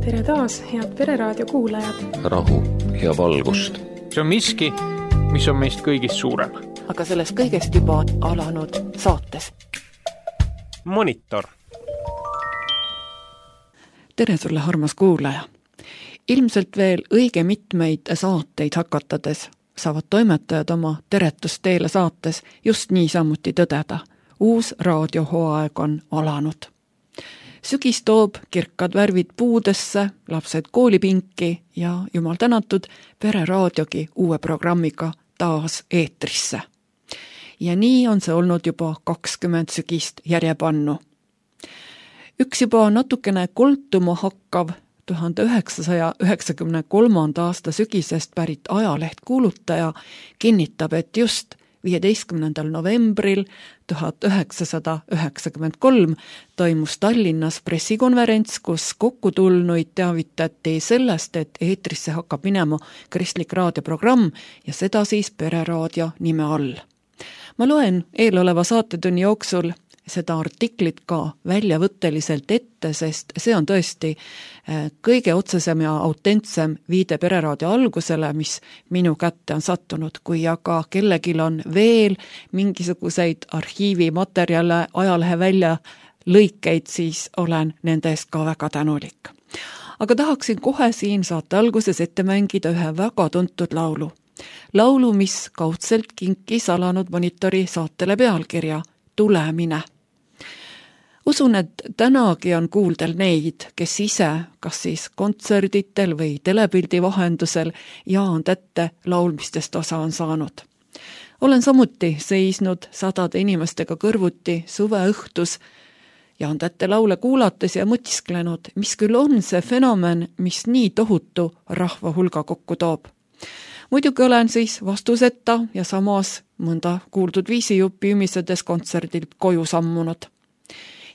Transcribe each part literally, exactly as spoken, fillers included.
Tere taas, head Pereraadio kuulajad. Rahu ja valgust. See on miski, mis on meist kõigist suurem. Aga sellest kõigest juba alanud saates. Monitor. Tere sulle, armas kuulaja. Ilmselt veel õige mitmeid saateid hakatades saavad toimetajad oma teretusteele saates just niisamuti tõdeda. Uus raadiohooaeg on alanud. Sügis toob kirkad värvid puudesse, lapsed koolipinki ja jumal tänatud Pereraadiogi uue programmiga taas eetrisse. Ja nii on see olnud juba kakskümmend sügist järjepannu. Üks juba natukene koltuma hakkav tuhande üheksasaja üheksakümne kolmanda aasta sügisest pärit ajaleht kuulutaja kinnitab, et just viieteistkümnendal novembril tuhat üheksasada üheksakümmend kolm toimus Tallinnas pressikonverents, kus kokkutulnuid teavitati sellest, et eetrisse hakkab minema kristlik raadioprogramm ja seda siis Pereraadio nime all. Ma loen eeloleva saatetunni jooksul seda artiklit ka väljavõtteliselt ette, sest see on tõesti kõige otsesem ja autentsem viide Pereraadio algusele, mis minu kätte on sattunud. Kui aga kellegil on veel mingisuguseid arhiivimaterjale, ajalehe välja lõikeid, siis olen nende eest ka väga tänulik. Aga tahaksin kohe siin saate alguses ette mängida ühe väga tuntud laulu. Laulu, mis kaudselt kinkis alanud Monitori saatele pealkirja Tulemine. Usun, et tänagi on kuuldel neid, kes ise, kas siis kontserditel või telepildi vahendusel jaand ette laulmistest osa on saanud. Olen samuti seisnud sadade inimestega kõrvuti suve õhtus jaand ette laule kuulates ja mõtisklenud, mis küll on see fenomen, mis nii tohutu rahva hulga kokku toob. Muidugi olen siis vastuseta ja samas mõnda kuuldud viisijuppi ümisedes kontserdilt koju sammunud.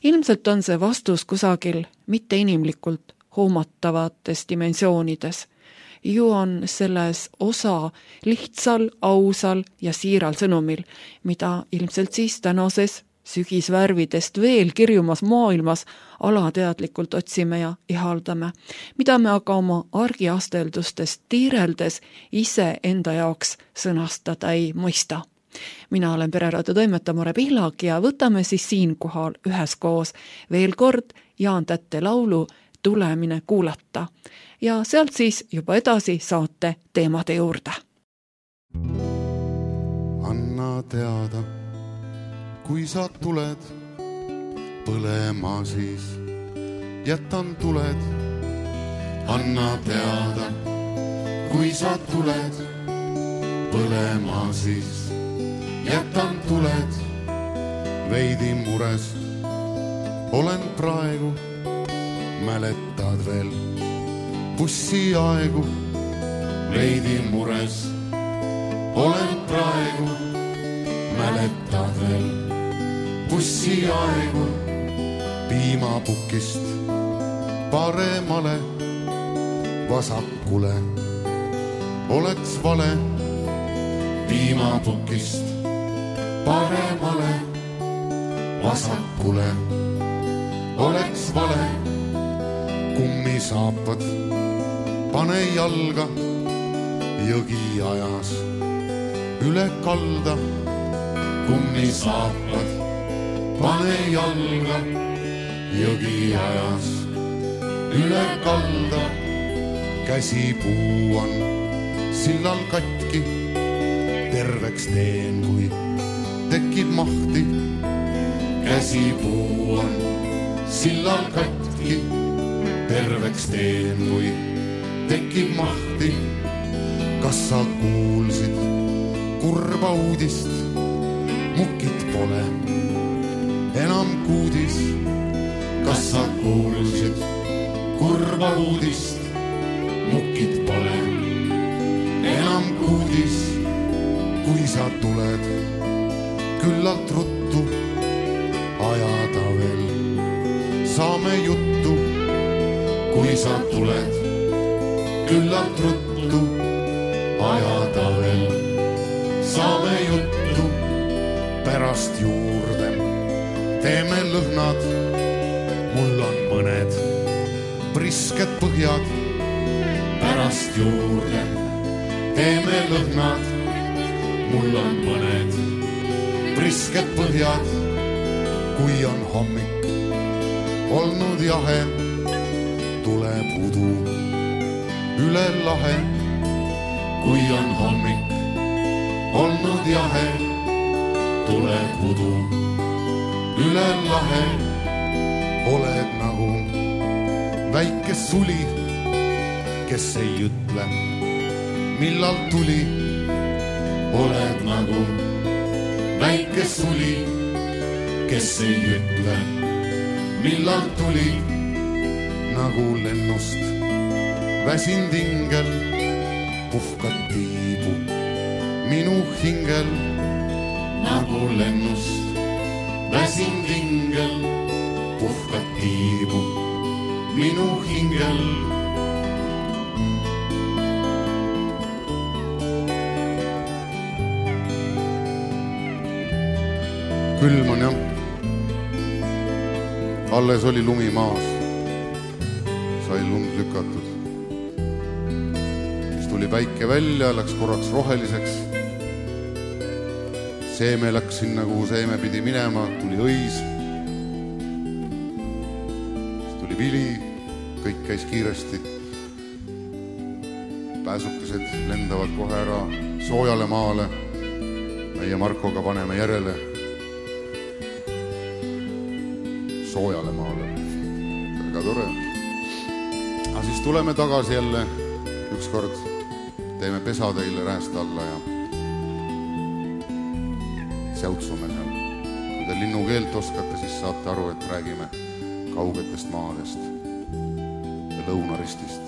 Ilmselt on see vastus kusagil mitte inimlikult hoomatavates dimensioonides. Ju on selles osa lihtsal, ausal ja siiral sõnumil, mida ilmselt siis tänases sügisvärvidest veel kirjumas maailmas alateadlikult otsime ja ihaldame, mida me aga oma argiasteldustest tiireldes ise enda jaoks sõnastada ei mõista. Mina olen Pereraadio toimetaja Mare Pihlak ja võtame siis siinkohal üheskoos veel kord jaand ette laulu Tulemine kuulata ja sealt siis juba edasi saate teemade juurde. Anna teada, kui sa tuled põlema, siis jätan tuled. Anna teada, kui sa tuled põlema, siis jätan tuled. Veidi mures olen praegu, mäletad veel bussi aegu. Veidi mures olen praegu, mäletad veel bussi aegu. Piimapukist paremale, vasakule oleks vale. Piimapukist paremale, vasakule oleks vale. Kummisaapad pane jalga, jõgi ajas üle kalda. Kummisaapad pane jalga, jõgi ajas üle kalda. Käsipuu on sillal katki, terveks teen, kui tekib mahti. Käsipuu on sillal katki, terveks teen, kui tekib mahti. Kas sa kuulsid kurba uudist? Mukid pole enam kuudis. Kas sa kuulsid kurba uudist? Mukid pole enam kuudis. Kui sa tuled küllalt ruttu, ajada veel saame juttu. Kui sa tuled küllalt ruttu, ajada veel saame juttu. Pärast juurde teeme lõhnad, mul on mõned prisked põhjad, pärast juurde teeme lõhnad. Mul on mõned prisked põhjad, kui on hommik olnud jahe, tuleb udu üle lahe. Kui on hommik olnud jahe, tuleb udu üle lahe. Oled nagu väike suli, kes ei ütle, millal tuli. Oled nagu väike suli, kes ei ütle, millal tuli. Nagu lennust väsind ingel, puhkad tiibu minu hingel. Nagu lennust väsind ingel, puhkad tiibu minu hingel. Külm on jah, alles oli lumi maas, sai lund lükatud. Siis tuli päike välja, läks korraks roheliseks. Seeme läks sinna, kuhu seeme pidi minema, tuli õis. Siis tuli vili, kõik käis kiiresti. Pääsukesed lendavad kohe ära soojale maale. Meie Markoga paneme järele soojale maale. Väga tore. Aga siis tuleme tagasi jälle ükskord, teeme pesa teile rääst alla ja säutsume seal. Kui te linnukeelt oskate, siis saate aru, et räägime kaugetest maadest ja lõunaristist.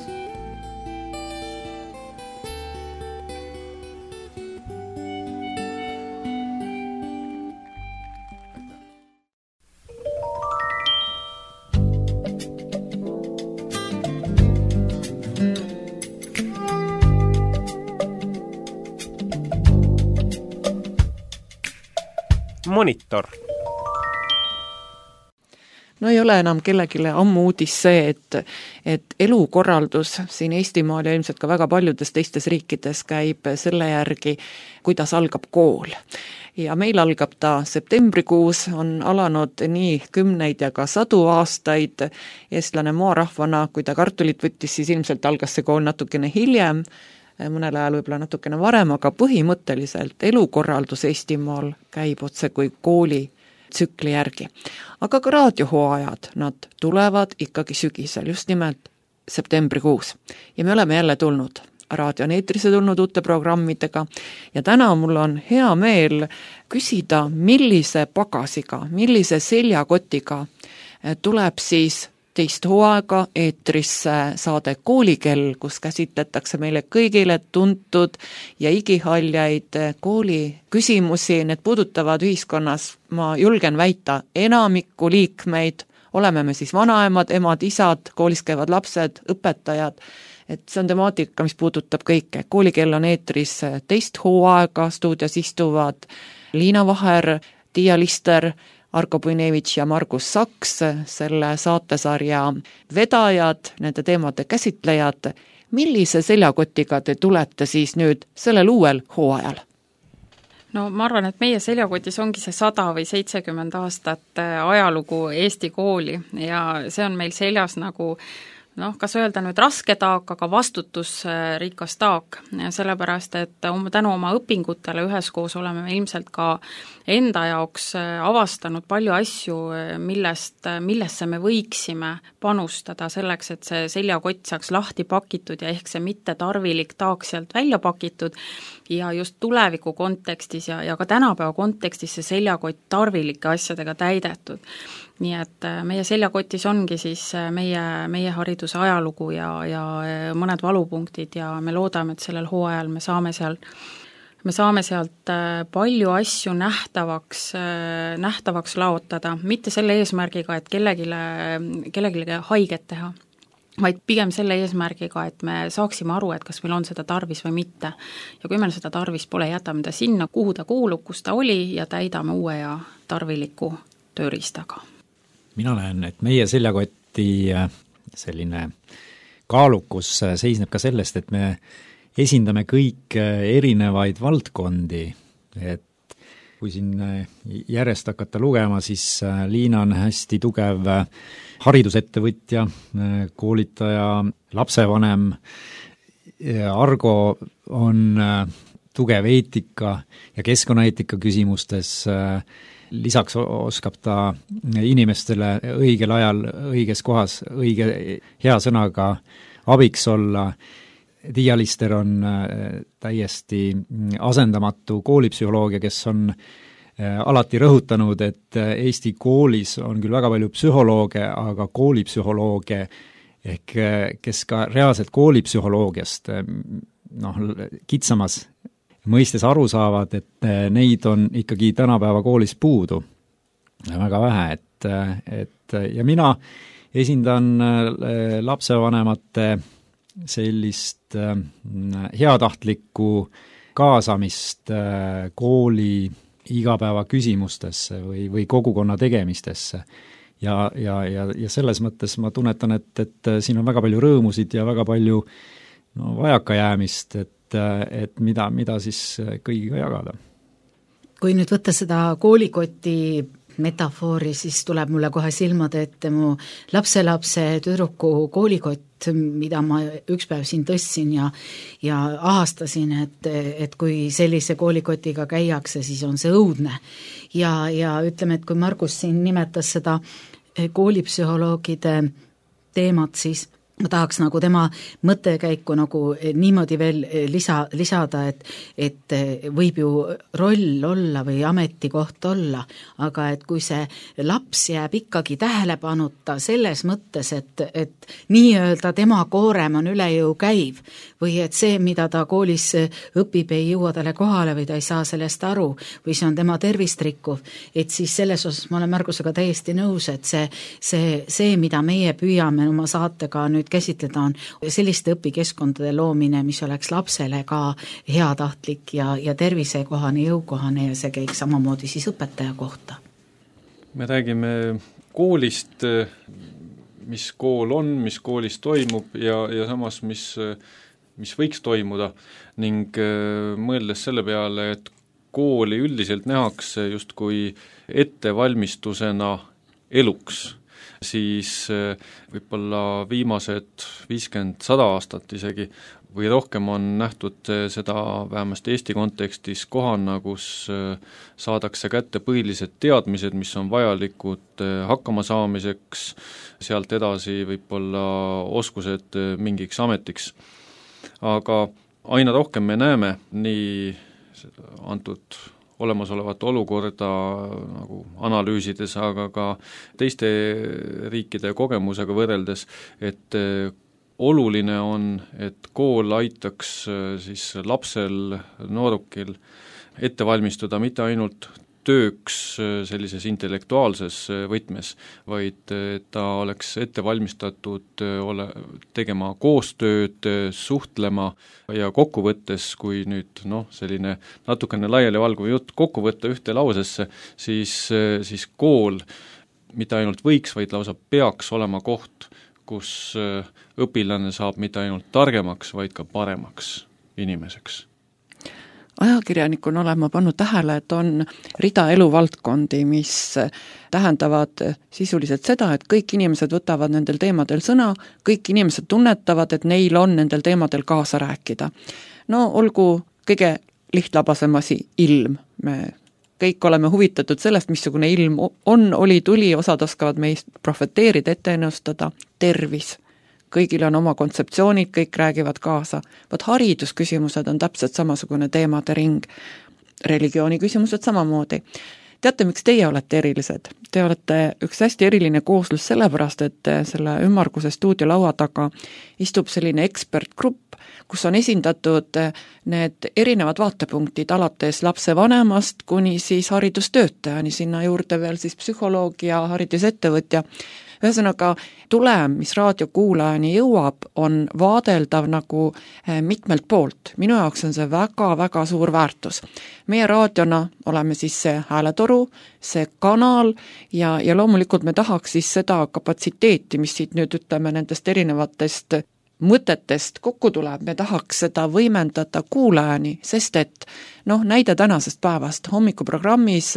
Monitor. No ei ole enam kellegile ammu uudis see, et, et elukorraldus siin Eestimaal ja ilmselt ka väga paljudes teistes riikides käib selle järgi, kuidas algab kool. Ja meil algab ta septembrikuus, on alanud nii kümneid ja ka sadu aastaid. Eestlane maarahvana, kui ta kartulit võttis, siis ilmselt algas see kool natukene hiljem, mõnel ajal võib-olla natukene varem, aga põhimõtteliselt elukorraldus Eestimaal käib otse kui kooli tsükli järgi. Aga ka raadiohooajad, nad tulevad ikkagi sügisel, just nimelt septembrikuus. Ja me oleme jälle tulnud raadioneetrisse tulnud uute programmidega ja täna mul on hea meel küsida, millise pagasiga, millise seljakotiga tuleb siis teist hooaega eetrisse saade Koolikell, kus käsitletakse meile kõigile tuntud ja igihaljaid kooli küsimusi. Need puudutavad ühiskonnas, ma julgen väita, enamikku liikmeid. Oleme me siis vanaemad, emad, isad, koolis käivad lapsed, õpetajad. Et see on temaatika, mis puudutab kõike. Koolikell on eetris teist hooaega, stuudios istuvad Liina Vaher, Tiia Lister, Arko Puinevitš ja Margus Saks, selle saatesarja vedajad, nende teemade käsitlejad. Millise seljakotiga te tulete siis nüüd sellel uuel hooajal? No ma arvan, et meie seljakotis ongi see sada või seitsekümmend aastat ajalugu Eesti kooli ja see on meil seljas nagu noh, kas öelda nüüd raske taak, aga vastutusrikas taak, sellepärast, et tänu oma õpingutele üheskoos oleme me ilmselt ka enda jaoks avastanud palju asju, millest, millesse me võiksime panustada selleks, et see seljakott saaks lahti pakitud ja ehk see mitte tarvilik taak sealt välja pakitud ja just tuleviku kontekstis ja, ja ka tänapäeva kontekstis see seljakott tarvilike asjadega täidetud. Nii et meie seljakotis ongi siis meie, meie hariduse ajalugu ja, ja mõned valupunktid ja me loodame, et sellel hooajal me saame seal me saame sealt palju asju nähtavaks, nähtavaks laotada, mitte selle eesmärgiga, et kellegile, kellegile haiget teha, vaid pigem selle eesmärgiga, et me saaksime aru, et kas meil on seda tarvis või mitte. Ja kui meil seda tarvis pole, jätame ta sinna, kuhu ta kuulub, kus ta oli ja täidame uue ja tarviliku tööriistaga. Mina näen, et meie seljakoti selline kaalukus seisneb ka sellest, et me esindame kõik erinevaid valdkondi, et kui siin järjest hakata lugema, siis Liina on hästi tugev haridusettevõtja, koolitaja, lapsevanem, Argo on tugev eetika ja keskkonnaeetika küsimustes, lisaks oskab ta inimestele õigel ajal, õiges kohas, õige hea sõnaga abiks olla. Tiia Lister on täiesti asendamatu koolipsühholoogia, kes on alati rõhutanud, et Eesti koolis on küll väga palju psühholooge, aga koolipsühholooge ehk kes ka reaalselt koolipsühholoogiast noh, kitsamas mõistes aru saavad, et neid on ikkagi tänapäeva koolis puudu väga vähe, et, et ja mina esindan lapsevanemate sellist heatahtlikku kaasamist kooli igapäeva küsimustesse või, või kogukonna tegemistesse. Ja, ja, ja, ja selles mõttes ma tunnetan, et, et siin on väga palju rõõmusid ja väga palju no, vajakajäämist, et, et mida, mida siis kõigiga jagada. Kui nüüd võtta seda koolikoti metafoori, siis tuleb mulle kohe silmade ette mu lapselapse tüdruku koolikott, mida ma üks päev siin tõstsin ja, ja ahastasin, et, et kui sellise koolikotiga käiakse, siis on see õudne. Ja, ja ütleme, et kui Margus siin nimetas seda koolipsühholoogide teemat, siis ma tahaks nagu tema mõttekäiku nagu niimoodi veel lisa, lisada, et, et võib ju roll olla või ametikoht olla, aga et kui see laps jääb ikkagi tähelepanuta selles mõttes, et, et nii-öelda tema koorem on üle jõu käiv või et see, mida ta koolis õpib, ei jõua talle kohale või ta ei saa sellest aru või see on tema tervist rikkuv, et siis selles osas ma olen Margusega täiesti nõus, et see, see, see mida meie püüame oma saatega nüüd käsitleda on selliste õpikeskkondade loomine, mis oleks lapsele ka heatahtlik ja, ja tervisekohane, jõukohane ja see käiks samamoodi siis õpetaja kohta. Me räägime koolist, mis kool on, mis koolis toimub ja, ja samas, mis, mis võiks toimuda ning mõeldes selle peale, et kooli üldiselt nähakse justkui ettevalmistusena eluks, siis võib-olla viimased viiskümmend sada aastat isegi või rohkem on nähtud seda vähemasti Eesti kontekstis kohana, kus saadakse kätte põhilised teadmised, mis on vajalikud hakkama saamiseks, sealt edasi võib-olla oskused mingiks ametiks. Aga aina rohkem me näeme nii antud olemasolevat olukorda nagu analüüsides, aga ka teiste riikide kogemusega võrreldes, et oluline on, et kool aitaks siis lapsel, noorukil ette valmistuda mitte ainult tööks sellises intellektuaalses võtmes, vaid ta oleks ette valmistatud ole, tegema koostööd, suhtlema ja kokkuvõttes, kui nüüd noh, selline natukene laialivalguv jutt kokku võtta ühte lausesse, siis, siis kool mitte ainult võiks, vaid lausa peaks olema koht, kus õpilane saab mitte ainult targemaks, vaid ka paremaks inimeseks. Ajakirjanikuna olen ma pannud tähele, et on rida eluvaldkondi, mis tähendavad sisuliselt seda, et kõik inimesed võtavad nendel teemadel sõna, kõik inimesed tunnetavad, et neil on nendel teemadel kaasa rääkida. No olgu kõige lihtlabasem asi ilm. Me kõik oleme huvitatud sellest, missugune ilm on, oli, tuli, osad oskavad meist profeteerida, ette ennustada, tervis. Kõigil on oma kontseptsioonid, kõik räägivad kaasa. Vaat haridusküsimused on täpselt samasugune teemade ring. Religiooni küsimused samamoodi. Teate, miks teie olete erilised? Te olete üks hästi eriline kooslus sellepärast, et selle ümmarguse stuudiolaua taga istub selline ekspertgrupp, kus on esindatud need erinevad vaatepunktid alates lapse vanemast kuni siis haridustöötajani, sinna juurde veel siis psühholoog ja haridusettevõtja. ühesõnaga, tulem, mis raadiokuulajani jõuab, on vaadeldav nagu mitmelt poolt. Minu jaoks on see väga-väga suur väärtus. Meie raadiona oleme siis see hääletoru, see kanal ja, ja loomulikult me tahaks siis seda kapatsiteeti, mis siit nüüd ütleme nendest erinevatest mõtetest kokku tuleb, me tahaks seda võimendada kuulajani, sest et noh, näide tänasest päevast, hommikuprogrammis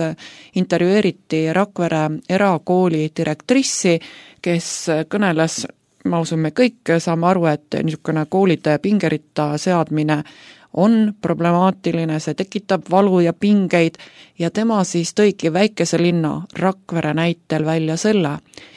intervjueeriti Rakvere erakooli direktrissi, kes kõneles, ma usun, me kõik saame aru, et niisugune koolide pingeritta seadmine on problemaatiline, see tekitab valu ja pingeid ja tema siis tõigi väikese linna Rakvere näitel välja selle,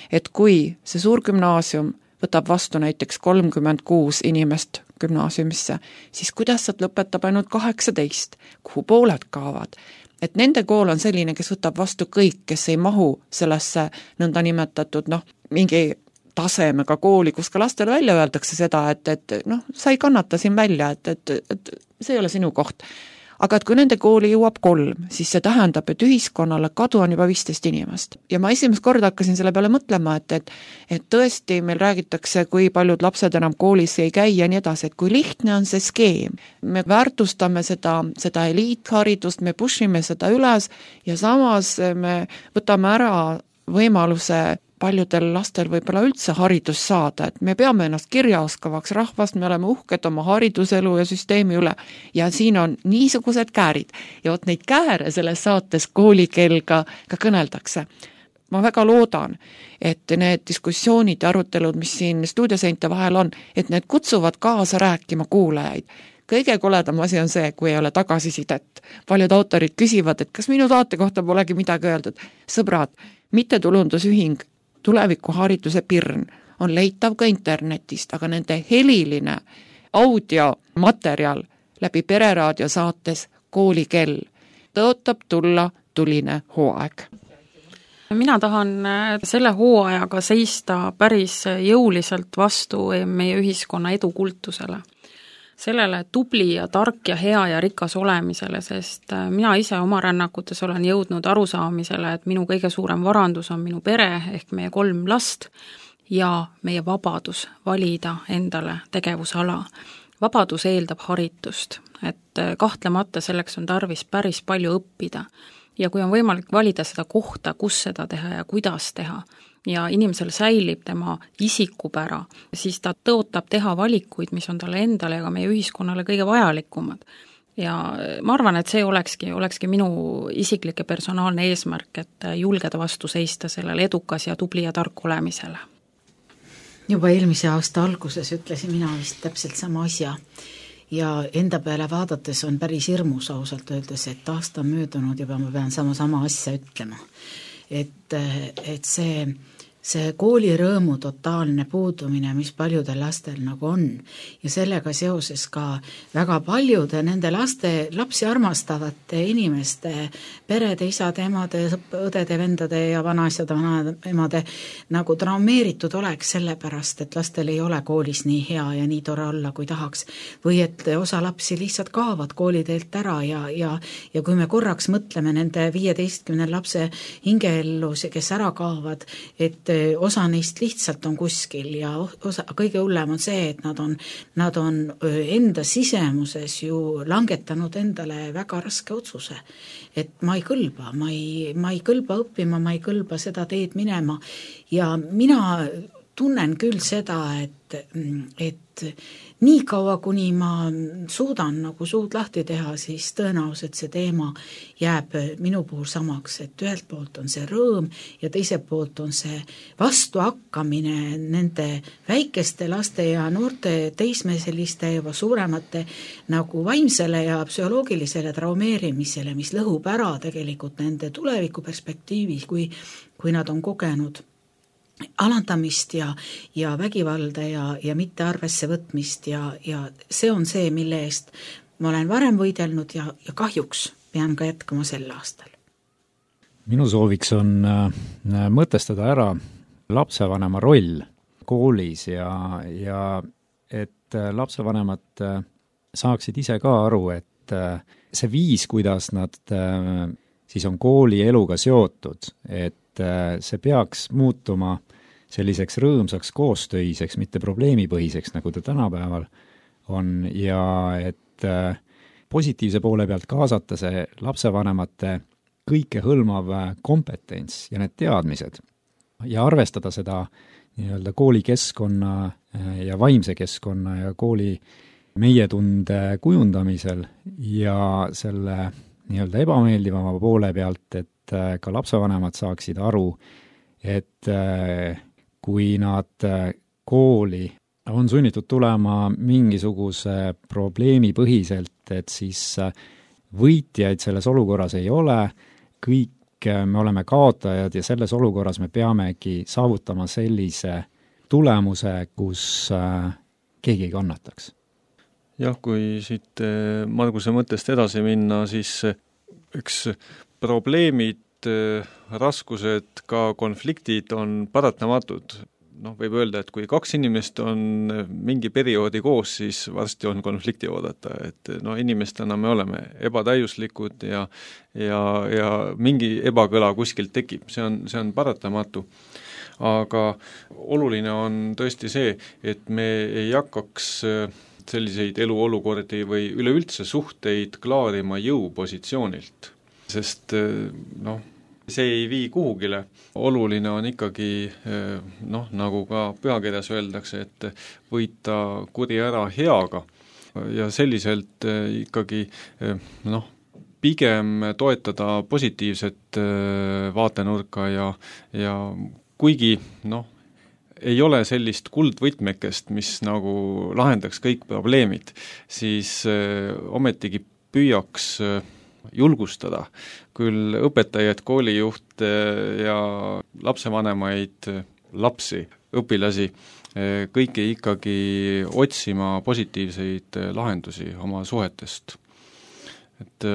et kui see suurgümnaasium võtab vastu näiteks kolmkümmend kuus inimest gümnaasiumisse, siis kuidas sealt lõpetab ainult kaheksateist, kuhu pooled kaovad. Et nende kool on selline, kes võtab vastu kõik, kes ei mahu sellesse nõnda nimetatud, noh, mingi tasemega kooli, kus ka lastele välja öeldakse seda, et, et noh, sa ei kannata siin välja, et, et, et see ei ole sinu koht. Aga et kui nende kooli jõuab kolm, siis see tähendab, et ühiskonnale kadu on juba viisteist inimest. Ja ma esimest korda hakkasin selle peale mõtlema, et, et, et tõesti meil räägitakse, kui paljud lapsed enam koolis ei käi ja nii edasi, et kui lihtne on see skeem. Me väärtustame seda, seda eliitharidust, me pushime seda üles ja samas me võtame ära võimaluse paljudel lastel võib-olla üldse haridus saada, et me peame ennast kirjaoskavaks rahvast, me oleme uhked oma hariduselu ja süsteemi üle ja siin on niisugused käärid ja vot neid kääre selles saates koolikeel ka, ka kõneldakse. Ma väga loodan, et need diskussioonid ja arutelud, mis siin stuudioseinte vahel on, et need kutsuvad kaasa rääkima kuulajaid. Kõige koledam asi on see, kui ei ole tagasisidet. Paljud autorid küsivad, et kas minu saate kohta polegi midagi öeldud. Sõbrad, mittetulundusühing Tulevikuhariduse Pirn on leitav ka internetist, aga nende heliline audiomaterjal läbi Pereraadio saates Koolikell tõotab tulla tuline hooaeg. Mina tahan selle hooajaga seista päris jõuliselt vastu meie ühiskonna edukultusele. Sellele tubli ja tark ja hea ja rikas olemisele, sest mina ise oma rännakutes olen jõudnud arusaamisele, et minu kõige suurem varandus on minu pere ehk meie kolm last ja meie vabadus valida endale tegevusala. Vabadus eeldab haritust, et kahtlemata selleks on tarvis päris palju õppida ja kui on võimalik valida seda kohta, kus seda teha ja kuidas teha, ja inimesel säilib tema isikupära, siis ta tõotab teha valikuid, mis on talle endale ja ka meie ühiskonnale kõige vajalikumad. Ja ma arvan, et see olekski, olekski minu isiklik ja personaalne eesmärk, et julgeda vastu seista sellele edukas ja tubli ja tark olemisele. Juba eelmise aasta alguses ütlesin mina vist täpselt sama asja ja enda peale vaadates on päris hirmus ausalt öeldes, et aasta on möödunud juba ma pean sama sama asja ütlema. Et, et see, see koolirõõmu totaalne puudumine, mis paljudel lastel nagu on ja sellega seoses ka väga paljude nende laste, lapsi armastavate inimeste, perede, isade, emade, õdede, vendade ja vanaisade, vanaemade nagu traumeeritud oleks sellepärast, et lastel ei ole koolis nii hea ja nii tore olla, kui tahaks. Või et osa lapsi lihtsalt kaovad kooliteelt ära ja, ja, ja kui me korraks mõtleme nende viieteistkümne lapse hingeellus, kes ära kaovad, et osa neist lihtsalt on kuskil ja osa, kõige hullem on see, et nad on, nad on enda sisemuses ju langetanud endale väga raske otsuse. Et ma ei kõlba, ma ei, ma ei kõlba õppima, ma ei kõlba seda teed minema ja mina tunnen küll seda, et, et nii kaua, kuni ma suudan nagu suud lahti teha, siis tõenäoliselt see teema jääb minu puhul samaks, et ühelt poolt on see rõõm ja teiselt poolt on see vastuhakkamine nende väikeste laste ja noorte teismeseliste juba suuremate nagu vaimsele ja psühholoogilisele traumeerimisele, mis lõhub ära tegelikult nende tulevikuperspektiivis, kui, kui nad on kogenud alandamist ja, ja vägivalda ja, ja mitte arvesse võtmist ja, ja see on see, mille eest ma olen varem võidelnud ja, ja kahjuks pean ka jätkama sel aastal. Minu sooviks on mõtestada ära lapsevanema roll koolis ja, ja et lapsevanemad saaksid ise ka aru, et see viis, kuidas nad siis on kooli eluga seotud, et see peaks muutuma selliseks rõõmsaks koostöiseks, mitte probleemipõhiseks, nagu ta tänapäeval on, ja et positiivse poole pealt kaasata see lapsevanemate kõikehõlmav kompetents ja need teadmised ja arvestada seda nii-öelda koolikeskkonna ja vaimse keskkonna ja kooli meietunde kujundamisel ja selle nii-öelda ebameeldivama poole pealt, et ka lapsevanemad saaksid aru, et kui nad kooli on sunnitud tulema mingisuguse probleemi põhiselt, et siis võitjaid selles olukorras ei ole, kõik me oleme kaotajad ja selles olukorras me peamegi saavutama sellise tulemuse, kus keegi ei kannataks. Jah, kui siit Marguse mõttest edasi minna, siis üks probleemid, raskused, ka konfliktid on paratamatud. Noh, võib öelda, et kui kaks inimest on mingi perioodi koos, siis varsti on konflikti oodata, et no inimestena me oleme ebatäiuslikud ja, ja, ja mingi ebakõla kuskilt tekib, see on, see on paratamatu. Aga oluline on tõesti see, et me ei hakkaks selliseid eluolukordi või üleüldse suhteid klaarima jõupositsioonilt, sest noh, see ei vii kuhugile. Oluline on ikkagi, noh, nagu ka pühakirjas öeldakse, et võita kuri ära heaga ja selliselt ikkagi, noh, pigem toetada positiivset vaatenurka ja, ja kuigi, noh, ei ole sellist kuldvõtmekest, mis nagu lahendaks kõik probleemid, siis ometigi püüaks julgustada küll õpetajaid, koolijuhte ja lapsevanemaid, lapsi, õpilasi, kõiki ikkagi otsima positiivseid lahendusi oma suhetest. Et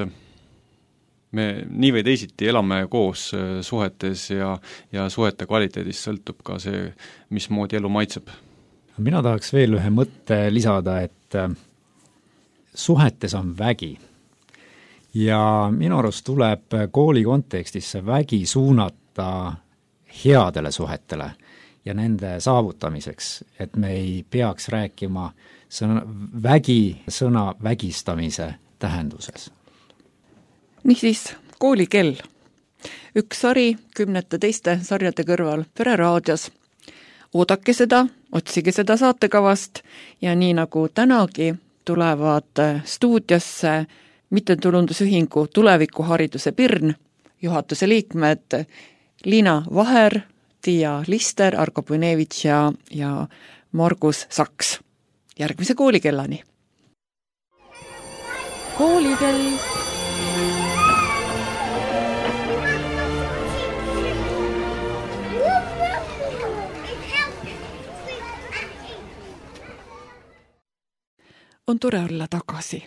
me nii või teisiti elame koos suhetes ja, ja suhete kvaliteedist sõltub ka see, mismoodi elu maitseb. Mina tahaks veel ühe mõtte lisada, et suhetes on vägi. Ja minu arust tuleb kooli kontekstis see vägi suunata headele suhetele ja nende saavutamiseks, et me ei peaks rääkima sõna, vägi sõna vägistamise tähenduses. Niisiis, koolikell. Üks sari kümnete teiste sarjade kõrval Pereraadios. Oodake seda, otsige seda saatekavast ja nii nagu tänagi tulevad stuudiosse mittetulundusühingu Tulevikuhariduse Pirn, juhatuse liikmed Liina Vaher, Tiia Lister, Argo Punevitš ja, ja Margus Saks. Järgmise koolikellani. Koolikell. On tore olla tagasi.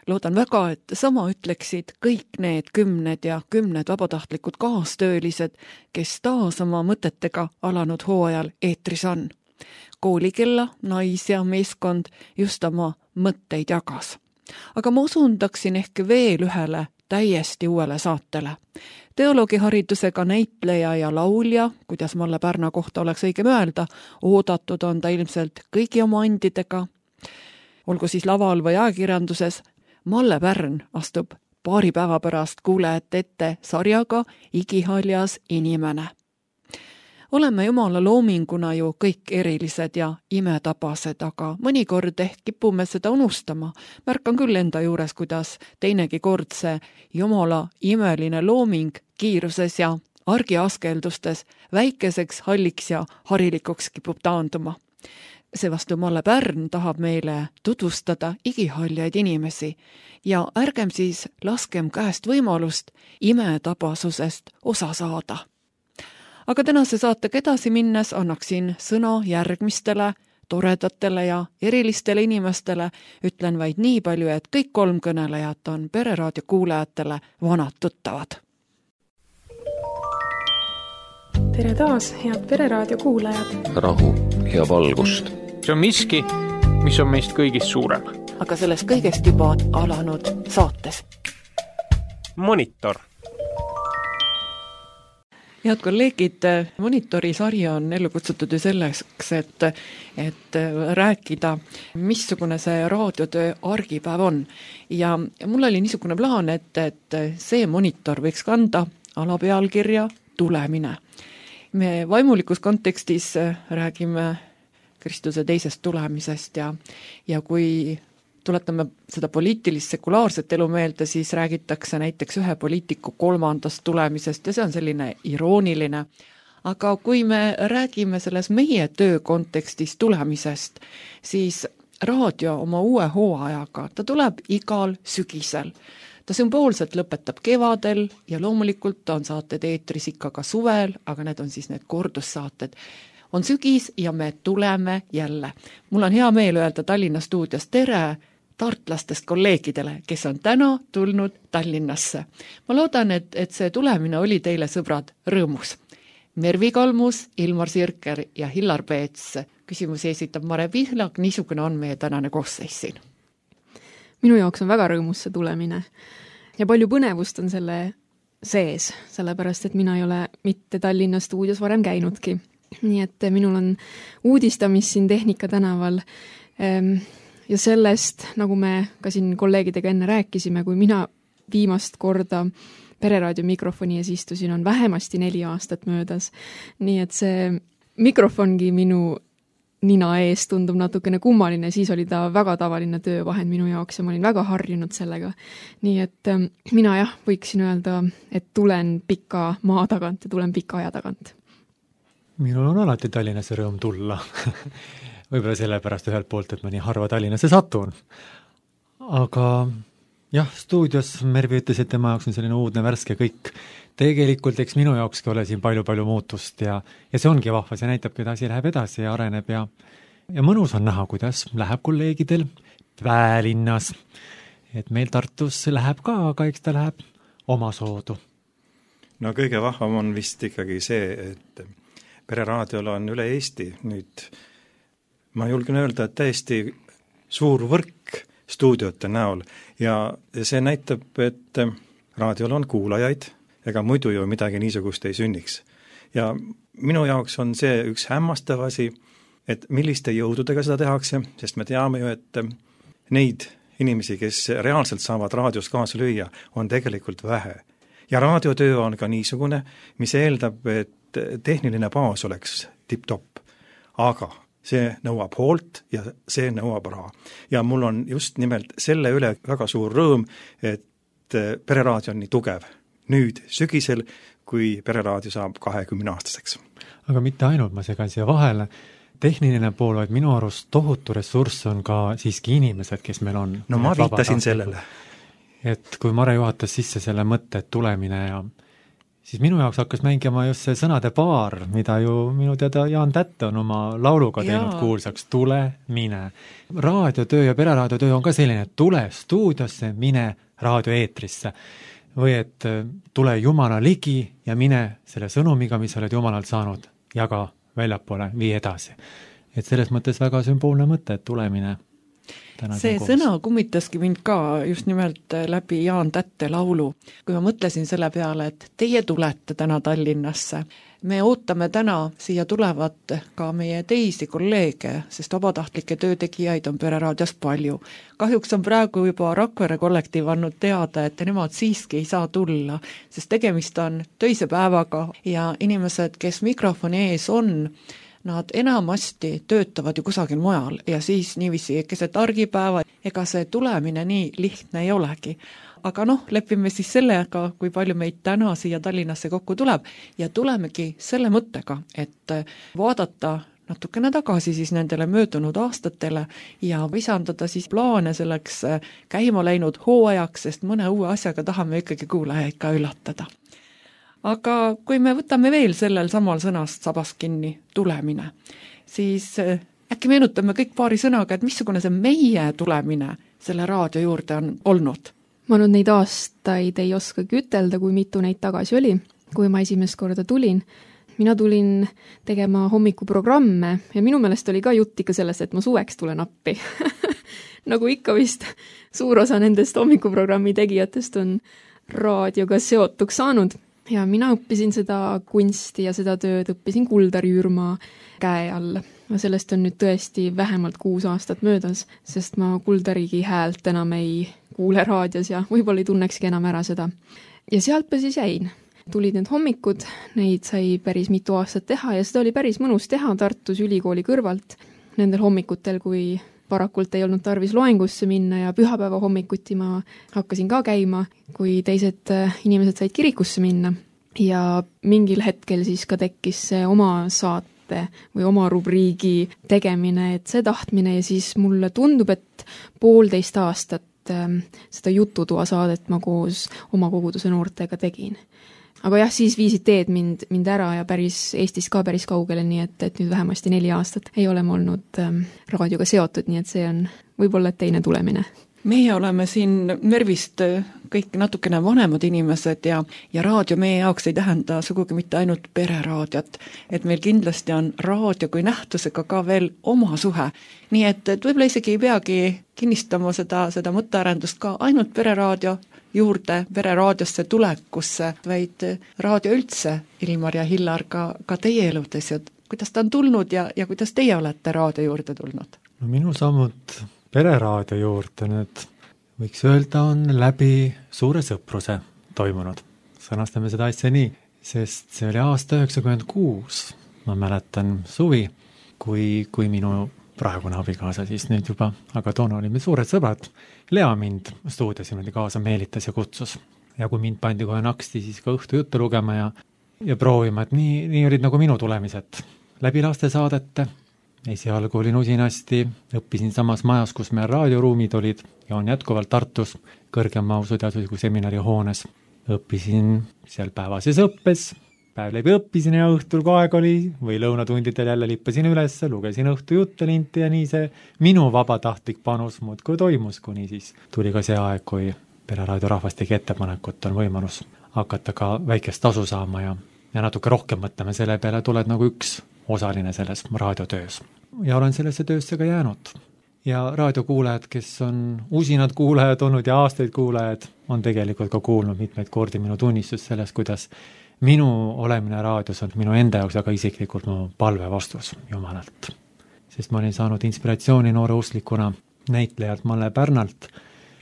Loodan väga, et sama ütleksid kõik need kümned ja kümned vabatahtlikud kaastöölised, kes taas oma mõtetega alanud hooajal eetris on. Koolikella, nais- ja meeskond just oma mõtteid jagas. Aga ma osundaksin ehk veel ühele täiesti uuele saatele. Teoloogiharidusega näitleja ja laulja, kuidas Malle Pärna kohta oleks õigem öelda, oodatud on ta ilmselt kõigi oma andidega, olgu siis laval või ajakirjanduses. Malle Pärn astub paari päeva pärast kuulajate ette sarjaga Igihaljas inimene. Oleme Jumala loominguna ju kõik erilised ja imetabased, aga mõnikord ehk kipume seda unustama. Märkan küll enda juures, kuidas teinegi kord see Jumala imeline looming kiiruses ja argiaskeldustes väikeseks, halliks ja harilikuks kipub taanduma. Seevastu Malle Pärn tahab meile tutvustada igihaljaid inimesi ja ärgem siis laskem käest võimalust imetabasusest osa saada. Aga tänase saatega edasi minnes annaksin sõna järgmistele toredatele ja erilistele inimestele, ütlen vaid nii palju, et kõik kolm kõnelejat on Pereraadio kuulajatele vanad tuttavad. Tere taas, head Pereraadio kuulajad! Rahu ja valgust! See on miski, mis on meist kõigist suurem. Aga sellest kõigest juba alanud saates. Monitor. head kolleegid, monitorisari on ellu kutsutud ju selleks, et, et rääkida, missugune see raadiotöö argipäev on. Ja mul oli niisugune plaan, et, et see monitor võiks kanda alapealkirja tulemine. Me vaimulikus kontekstis räägime Kristuse teisest tulemisest ja, ja kui tuletame seda poliitilist sekulaarset elu meelde, siis räägitakse näiteks ühe poliitiku kolmandast tulemisest ja see on selline irooniline. Aga kui me räägime selles meie töö kontekstis tulemisest, siis raadio oma uue hooajaga, ta tuleb igal sügisel. Ta sümboolselt lõpetab kevadel ja loomulikult on saated eetris ikka ka suvel, aga need on siis need kordussaated. On sügis ja me tuleme jälle. Mul on hea meel öelda Tallinna stuudios tere tartlastest kolleegidele, kes on täna tulnud Tallinnasse. Ma loodan, et, et see tulemine oli teile, sõbrad, rõõmus. Mervi Kalmus, Ilmar Sirker ja Hillar Peets. Küsimusi esitab Mare Pihlak, niisugune on meie tänane koosseis siin. Minu jaoks on väga rõõmus see tulemine ja palju põnevust on selle sees, sellepärast et mina ei ole mitte Tallinna stuudios varem käinudki. Nii et minul on uudistamis siin Tehnika tänaval ähm, ja sellest, nagu me ka siin kolleegidega enne rääkisime, kui mina viimast korda Pereraadio mikrofoni ees istusin, on vähemasti neli aastat möödas. Nii et see mikrofongi minu nina ees tundub natukene kummaline, siis oli ta väga tavaline töövahend minu jaoks ja ma olin väga harjunud sellega. Nii et ähm, mina jah, võiksin öelda, et tulen pika maa tagant ja tulen pika aja tagant. Minul on alati Tallinnasse rõõm tulla. Võib-olla sellepärast ühelt poolt, et ma nii harva Tallinnasse satun. Aga jah, stuudios Mervi ütles, et tema jaoks on selline uudne värske kõik. Tegelikult eks minu jaokski ole siin palju-palju muutust ja, ja see ongi vahva, see näitab, et asi läheb edasi ja areneb ja, ja mõnus on näha, kuidas läheb kolleegidel Päälinnas. Et meil Tartus läheb ka, aga eks ta läheb oma soodu. No kõige vahvam on vist ikkagi see, et Pereraadiol on üle Eesti nüüd, ma julgen öelda, et täiesti suur võrk stuudiote näol ja see näitab, et raadiol on kuulajaid, ega muidu ju midagi niisugust ei sünniks. Ja minu jaoks on see üks hämmastav asi, et milliste jõududega seda tehakse, sest me teame ju, et neid inimesi, kes reaalselt saavad raadios kaasa lüüa, on tegelikult vähe. Ja raadiotöö on ka niisugune, mis eeldab, et tehniline baas oleks tip-top, aga see nõuab hoolt ja see nõuab raha. Ja mul on just nimelt selle üle väga suur rõõm, et Pereraadio on nii tugev. Nüüd sügisel, kui Pereraadio saab kahekümne aastaseks. Aga mitte ainult, ma segan siia vahele. Tehniline pool, vaid minu arust tohutu ressurss on ka siiski inimesed, kes meil on. No ma viitasin sellele. Et kui Mare juhatas sisse selle mõtte, et tulemine ja siis minu jaoks hakkas mängima just see sõnade paar, mida ju minu teada Jaan Tätte on oma lauluga teinud kuulsaks, tule, mine. Raadiotöö ja pereraadiotöö on ka selline, et tule stuudiosse, mine raadioeetrisse. Või et tule Jumala ligi ja mine selle sõnumiga, mis oled Jumalalt saanud, jaga väljapoole, vii edasi. Et selles mõttes väga sümboolne mõte, et tulemine. See sõna kummitaski mind ka just nimelt läbi Jaan Tätte laulu, kui ma mõtlesin selle peale, et teie tulete täna Tallinnasse. Me ootame täna siia tulevat ka meie teisi kolleege, sest vabatahtlikke töötegijaid on Pereraadios palju. Kahjuks on praegu juba Rakvere kollektiiv andnud teada, et nemad siiski ei saa tulla, sest tegemist on töise päevaga ja inimesed, kes mikrofoni ees on, nad enamasti töötavad ju kusagil mujal ja siis niiviisi keset argipäeva, ega see tulemine nii lihtne ei olegi. Aga noh, lepime siis sellega, kui palju meid täna siia Tallinnasse kokku tuleb ja tulemegi selle mõttega, et vaadata natukene tagasi siis nendele möödunud aastatele ja visandada siis plaane selleks käima läinud hooajaks, sest mõne uue asjaga tahame ikkagi kuulajaid ka üllatada. Aga kui me võtame veel sellel samal sõnast sabast kinni tulemine, siis äkki meenutame kõik paari sõnaga, et missugune see meie tulemine selle raadio juurde on olnud? Ma nüüd neid aastaid ei oskagi ütelda, kui mitu neid tagasi oli, kui ma esimest korda tulin. Mina tulin tegema hommikuprogramme ja minu meelest oli ka jutt ikka sellest, et ma suveks tulen appi. Nagu ikka vist suur osa nendest hommikuprogrammi tegijatest on raadioga seotuks saanud. ja mina õppisin seda kunsti ja seda tööd õppisin Kuldar Jürma käe all. Sellest on nüüd tõesti vähemalt kuus aastat möödas, sest ma Kuldarigi häält enam ei kuule raadios ja võib-olla ei tunnekski enam ära seda. Ja sealt ma siis jäin. Tulid need hommikud, neid sai päris mitu aastat teha ja seda oli päris mõnus teha Tartus ülikooli kõrvalt. Nendel hommikutel, kui parakult ei olnud tarvis loengusse minna ja pühapäeva hommikuti ma hakkasin ka käima, kui teised inimesed said kirikusse minna. Ja mingil hetkel siis ka tekkis see oma saate või oma rubriigi tegemine, et see tahtmine ja siis mulle tundub, et poolteist aastat seda jututoa saadet ma koos oma koguduse noortega tegin. Aga jah, siis viisid teed mind, mind ära ja päris Eestis ka päris kaugele, nii et, et nüüd vähemasti neli aastat ei ole ma olnud ähm, raadioga seotud, nii et see on võib-olla teine tulemine. Meie oleme siin Mervist kõik natukene vanemad inimesed ja, ja raadio meie jaoks ei tähenda sugugi mitte ainult pereraadiot, et meil kindlasti on raadio kui nähtusega ka veel oma suhe. Nii et, et võib-olla isegi ei peagi kinnistama seda, seda mõttearendust ka ainult pereraadio juurde, pereraadiosse tulekusse, vaid raadio üldse, Ilmar ja Hillar, ka, ka teie eludes ja kuidas ta on tulnud ja, ja kuidas teie olete raadio juurde tulnud? No minu sammud pereraadio juurde nüüd võiks öelda on läbi suure sõpruse toimunud. Sõnastame seda asja nii, sest see oli aasta üheksakümmend kuus, ma mäletan suvi, kui, kui minu praegune abikaasa siis nüüd juba, aga toona olime suured sõbrad, Lea mind stuudios niimoodi kaasa meelitas ja kutsus. Ja kui mind pandi kohe naksti, siis ka õhtu juttu lugema ja, ja proovima, et nii, nii olid nagu minu tulemised läbi lastesaadete. Esialgu olin usinasti, õppisin samas majas, kus meil raadioruumid olid ja on jätkuvalt Tartus kõrgema usuteadusliku seminari hoones. Õppisin seal päevases õppes, päev läbi õppisin ja õhtul kui aeg oli või lõunatundidel jälle lippasin üles, lugesin õhtu jutte linti ja nii see minu vabatahtlik panus muudkui toimus, kuni siis tuli ka see aeg, kui Pereraadio rahvas tegi ettepanekut, on võimalus hakata ka väikest tasu saama ja, ja natuke rohkem mõtlema selle peale, tuled nagu üks osaline selles raadiotöös. Ja olen sellesse töösse ka jäänud. Ja raadiokuulajad, kes on usinad kuulajad olnud ja aastaid kuulajad, on tegelikult ka kuulnud mitmeid kordi minu tunnistus sellest, kuidas minu olemine raadios on minu enda jaoks väga isiklikult mu palve vastus Jumalalt. Sest ma olin saanud inspiratsiooni noore usklikuna näitlejalt Malle Pärnalt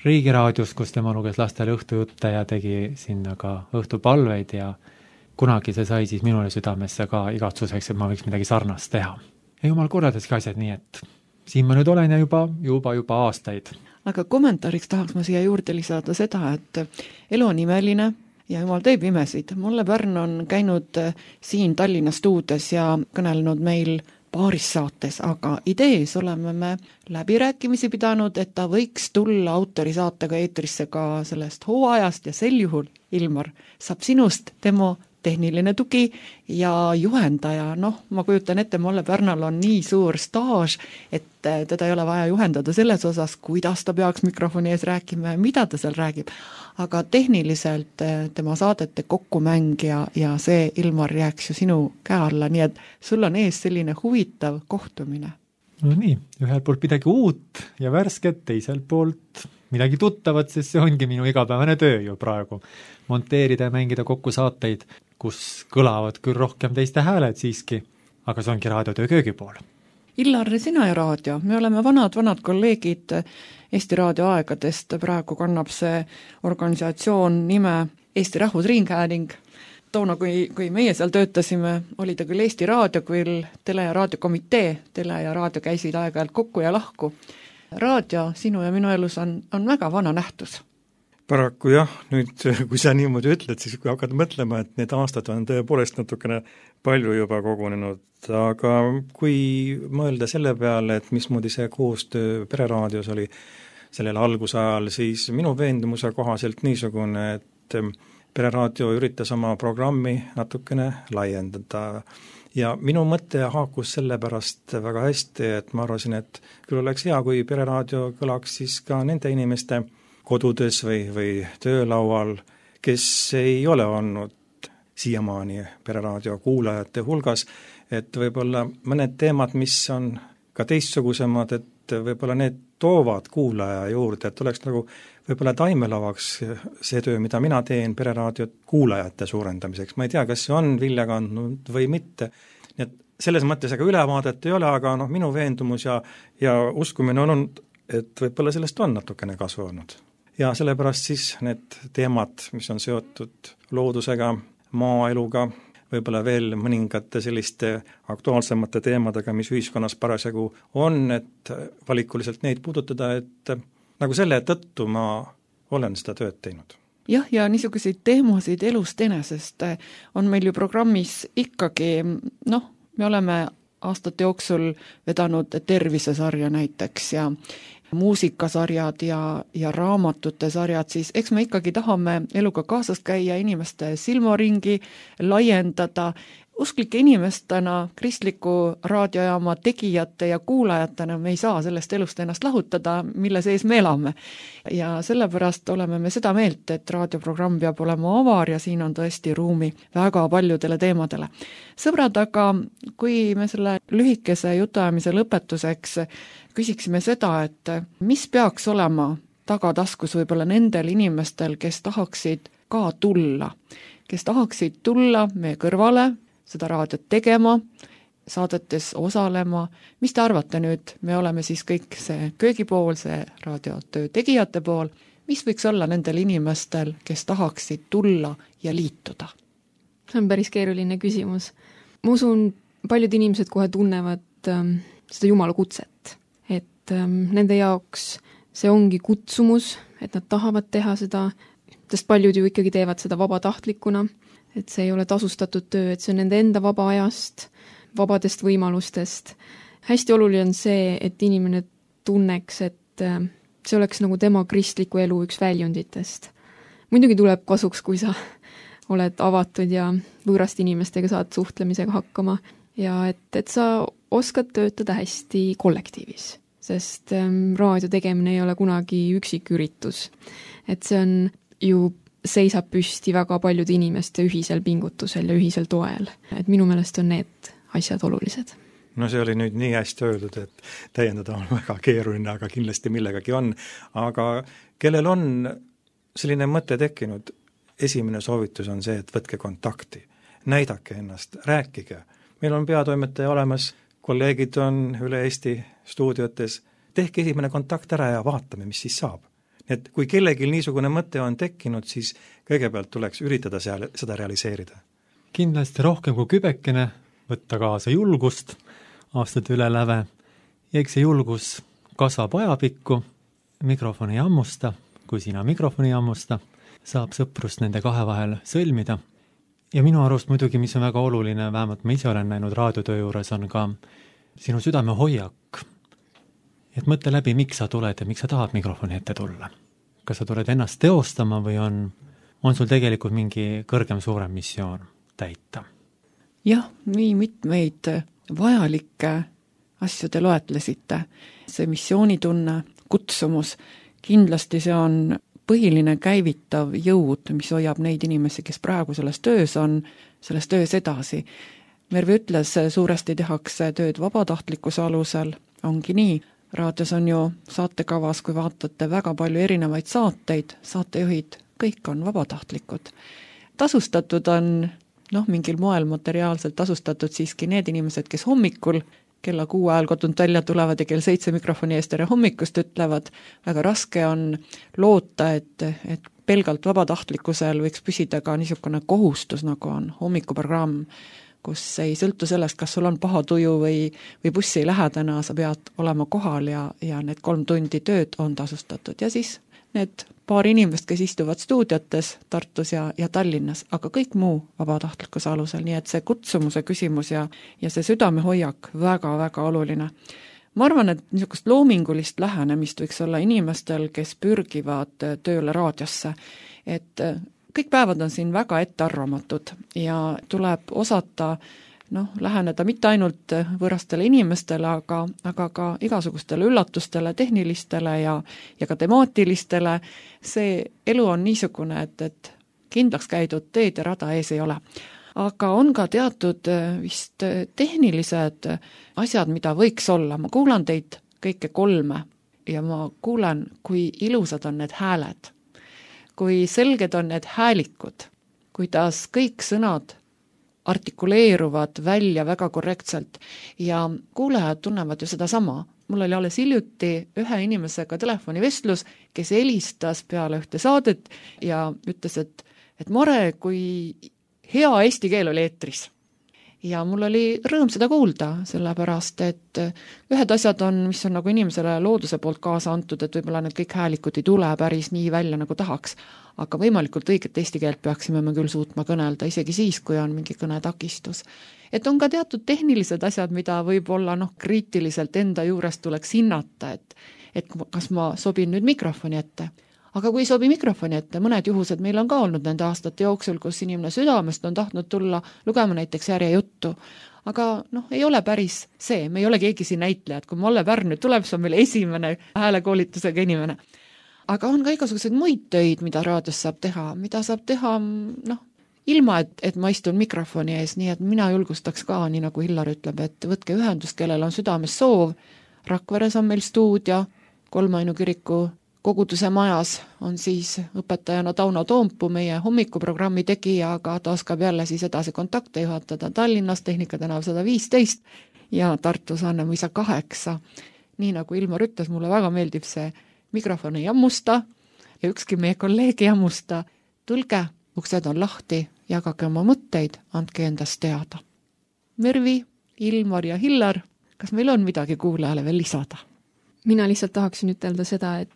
Riigiraadios, kus tema luges lastele õhtujutte ja tegi sinna ka õhtupalveid ja kunagi see sai siis minule südamesse ka igatsuseks, et ma võiks midagi sarnast teha. Ja Jumal korraldaski asjad nii, et siin ma nüüd olen ja juba, juba, juba aastaid. Aga kommentaariks tahaks ma siia juurde lisada seda, et elu on imeline ja Jumal teeb imesid. Malle Pärn on käinud siin Tallinna stuudios ja kõnelenud meil paaris saates, aga idees oleme me läbirääkimisi pidanud, et ta võiks tulla autorisaatega eetrisse ka sellest hooajast ja sel juhul, Ilmar, saab sinust demo tehniline tugi ja juhendaja, noh, ma kujutan ette, Malle Pärnal on nii suur staaž, et teda ei ole vaja juhendada selles osas, kuidas ta peaks mikrofoni ees rääkima ja mida ta seal räägib, aga tehniliselt tema saadete kokkumäng ja, ja see, Ilmar, jääks ju sinu käe alla, nii et sul on ees selline huvitav kohtumine. No nii, ühelt poolt midagi uut ja värsket, teiselt poolt midagi tuttavat, sest see ongi minu igapäevane töö ju praegu. Monteerida ja mängida kokku saateid, kus kõlavad küll rohkem teiste hääled siiski, aga see ongi raadiotöö köögipool. Illar, sina ja raadio, me oleme vanad, vanad kolleegid Eesti Raadio aegadest, praegu kannab see organisatsioon nime Eesti Rahvusringhääling. Toona, kui, kui meie seal töötasime, oli ta küll Eesti Raadio, küll tele- ja raadiokomitee, tele ja raadio käisid aeg-ajalt kokku ja lahku. Raadio sinu ja minu elus on, on väga vana nähtus. Paraku jah, nüüd kui sa niimoodi ütled, siis kui hakkad mõtlema, et need aastad on tõepoolest natukene palju juba kogunenud, aga kui mõelda selle peale, et mismoodi see koostöö Pereraadios oli sellel algusajal, siis minu veendumuse kohaselt niisugune, et Pereraadio üritas oma programmi natukene laiendada ja minu mõte haakus selle pärast väga hästi, et ma arvasin, et küll oleks hea, kui Pereraadio kõlaks siis ka nende inimeste kodudes või, või töölaual, kes ei ole olnud siiamaani Pereraadio kuulajate hulgas, et võib-olla mõned teemad, mis on ka teistsugusemad, et võib-olla need toovad kuulaja juurde, et oleks nagu võib-olla taimelavaks see töö, mida mina teen Pereraadio kuulajate suurendamiseks. Ma ei tea, kas see on vilja kandnud või mitte. Nii et selles mõttes ega ülevaadet ei ole, aga noh, minu veendumus ja, ja uskumine on olnud, et võib-olla sellest on natukene kasu olnud. Ja sellepärast siis need teemad, mis on seotud loodusega, maaeluga, võib-olla veel mõningate selliste aktuaalsemate teemadega, mis ühiskonnas parasjagu on, et valikuliselt neid puudutada, et nagu selle tõttu ma olen seda tööd teinud. Jah, ja niisuguseid teemasid elust enesest on meil ju programmis ikkagi, noh, me oleme aastate jooksul vedanud tervisesarja näiteks ja muusikasarjad ja, ja raamatute sarjad, siis eks me ikkagi tahame eluga kaasas käia, inimeste silmaringi laiendada, usklike inimestena, kristliku raadiojaama tegijate ja kuulajatena me ei saa sellest elust ennast lahutada, mille sees me elame. Ja sellepärast oleme me seda meelt, et raadioprogramm peab olema avar ja siin on tõesti ruumi väga paljudele teemadele. Sõbrad, aga kui me selle lühikese jutuajamise lõpetuseks küsiksime seda, et mis peaks olema tagataskus võib-olla nendel inimestel, kes tahaksid ka tulla, kes tahaksid tulla meie kõrvale, seda raadiot tegema, saadetes osalema. Mis te arvate nüüd? Me oleme siis kõik see köögipool, see raadiotöö tegijate pool. Mis võiks olla nendel inimestel, kes tahaksid tulla ja liituda? See on päris keeruline küsimus. Ma usun, paljud inimesed kohe tunnevad ähm, seda Jumala kutset, et ähm, nende jaoks see ongi kutsumus, et nad tahavad teha seda, sest paljud ju ikkagi teevad seda vabatahtlikuna, et see ei ole tasustatud töö, et see on nende enda vaba ajast, vabadest võimalustest. Hästi oluline on see, et inimene tunneks, et see oleks nagu tema kristliku elu üks väljunditest. Muidugi tuleb kasuks, kui sa oled avatud ja võõrast inimestega saad suhtlemisega hakkama ja et, et sa oskad töötada hästi kollektiivis, sest raadio tegemine ei ole kunagi üksiküritus. Et see on ju seisab püsti väga paljude inimeste ühisel pingutusel ja ühisel toel. Et minu meelest on need asjad olulised. No see oli nüüd nii hästi öeldud, et täiendada on väga keeruline, aga kindlasti millegagi on. Aga kellel on selline mõte tekkinud, esimene soovitus on see, et võtke kontakti, näidake ennast, rääkige. Meil on peatoimetaja olemas, kolleegid on üle Eesti stuudiotes, tehke esimene kontakt ära ja vaatame, mis siis saab. Et kui kellelgi niisugune mõte on tekkinud, siis kõigepealt tuleks üritada seal, seda realiseerida. Kindlasti rohkem kui kübekene, võtta kaasa julgust, aastate üle läve, ja eks see julgus kasvab ajapikku, mikrofoni ammusta, kui sina mikrofoni ammusta, saab sõprust nende kahe vahel sõlmida. Ja minu arust muidugi, mis on väga oluline, vähemalt ma ise olen näinud raadiotöö juures, on ka sinu südame hoiak. Et mõtle läbi, miks sa tuled ja miks sa tahad mikrofoni ette tulla. Kas sa tuled ennast teostama või on, on sul tegelikult mingi kõrgem suurem missioon täita? Jah, nii mitmeid vajalikke asju te loetlesite. See missioonitunne, kutsumus, kindlasti see on põhiline käivitav jõud, mis hoiab neid inimesi, kes praegu selles töös on, selles töös edasi. Mervi ütles, suuresti tehakse tööd vabatahtlikkuse alusel, ongi nii. Raadios on ju saatekavas, kui vaatate väga palju erinevaid saateid, saatejuhid, kõik on vabatahtlikud. Tasustatud on, noh, mingil moel materiaalselt tasustatud siiski need inimesed, kes hommikul kella kuue ajal kodunt välja tulevad ja kell seitse mikrofoni eest tere hommikust ütlevad. Väga raske on loota, et, et pelgalt vabatahtlikkusel võiks püsida ka niisugune kohustus, nagu on hommikuprogramm, kus ei sõltu sellest, kas sul on paha tuju või, või bussi lähedana, sa pead olema kohal ja, ja need kolm tundi tööd on tasustatud. Ja siis need paar inimest, kes istuvad stuudiotes Tartus ja, ja Tallinnas, aga kõik muu vabatahtlikkuse alusel, nii et see kutsumuse küsimus ja, ja see südamehoiak väga-väga oluline. Ma arvan, et niisugust loomingulist lähenemist võiks olla inimestel, kes pürgivad tööle raadiosse, et kõik päevad on siin väga ettearvamatud ja tuleb osata noh, läheneda mitte ainult võõrastele inimestele, aga, aga ka igasugustele üllatustele, tehnilistele ja, ja ka temaatilistele. See elu on niisugune, et, et kindlaks käidud teed ja rada ees ei ole. Aga on ka teatud vist tehnilised asjad, mida võiks olla. Ma kuulan teid kõike kolme ja ma kuulen, kui ilusad on need hääled, kui selged on need häälikud, kuidas kõik sõnad artikuleeruvad välja väga korrektselt ja kuulajad tunnevad ju seda sama. Mul oli alles hiljuti ühe inimesega telefonivestlus, kes helistas peale ühte saadet ja ütles, et, et Mare, kui hea eesti keel oli eetris. Ja mul oli rõõm seda kuulda, sellepärast, et ühed asjad on, mis on nagu inimesele looduse poolt kaasa antud, et võib-olla need kõik häälikud ei tule päris nii välja, nagu tahaks. Aga võimalikult õiget eesti keelt peaksime me küll suutma kõnelda, isegi siis, kui on mingi kõnetakistus. Et on ka teatud tehnilised asjad, mida võib-olla noh, kriitiliselt enda juures tuleks hinnata, et, et kas ma sobin nüüd mikrofoni ette. Aga kui sobi mikrofoni ette, mõned juhused meil on ka olnud nende aastate jooksul, kus inimene südamest on tahtnud tulla lugema näiteks järjejuttu. Aga noh, ei ole päris see, me ei ole keegi siin näitlejad, kui Malle Pärn nüüd tuleb, see on meil esimene häälekoolitusega inimene. Aga on ka igasuguseid muid töid, mida raadios saab teha, mida saab teha noh, ilma, et, et ma istun mikrofoni ees, nii et mina julgustaks ka, nii nagu Hillar ütleb, et võtke ühendust, kellel on südames soov. Rakveres on meil stuudio, Kolmainu kiriku koguduse majas on siis õpetajana Tauno Toompuu, meie hommikuprogrammi tegija, aga ta oskab jälle siis edasi kontakte juhatada Tallinnas, Tehnika tänav sada viisteist ja Tartus Annemõisa kaheksa. Nii nagu Ilmar ütles, mulle väga meeldib see mikrofon ei jammusta ja ükski meie kolleeg ei jammusta. Tulge, uksed on lahti, jagage oma mõtteid, andke endast teada. Mervi, Ilmar ja Hillar, kas meil on midagi kuulajale veel lisada? Mina lihtsalt tahaksin ütelda seda, et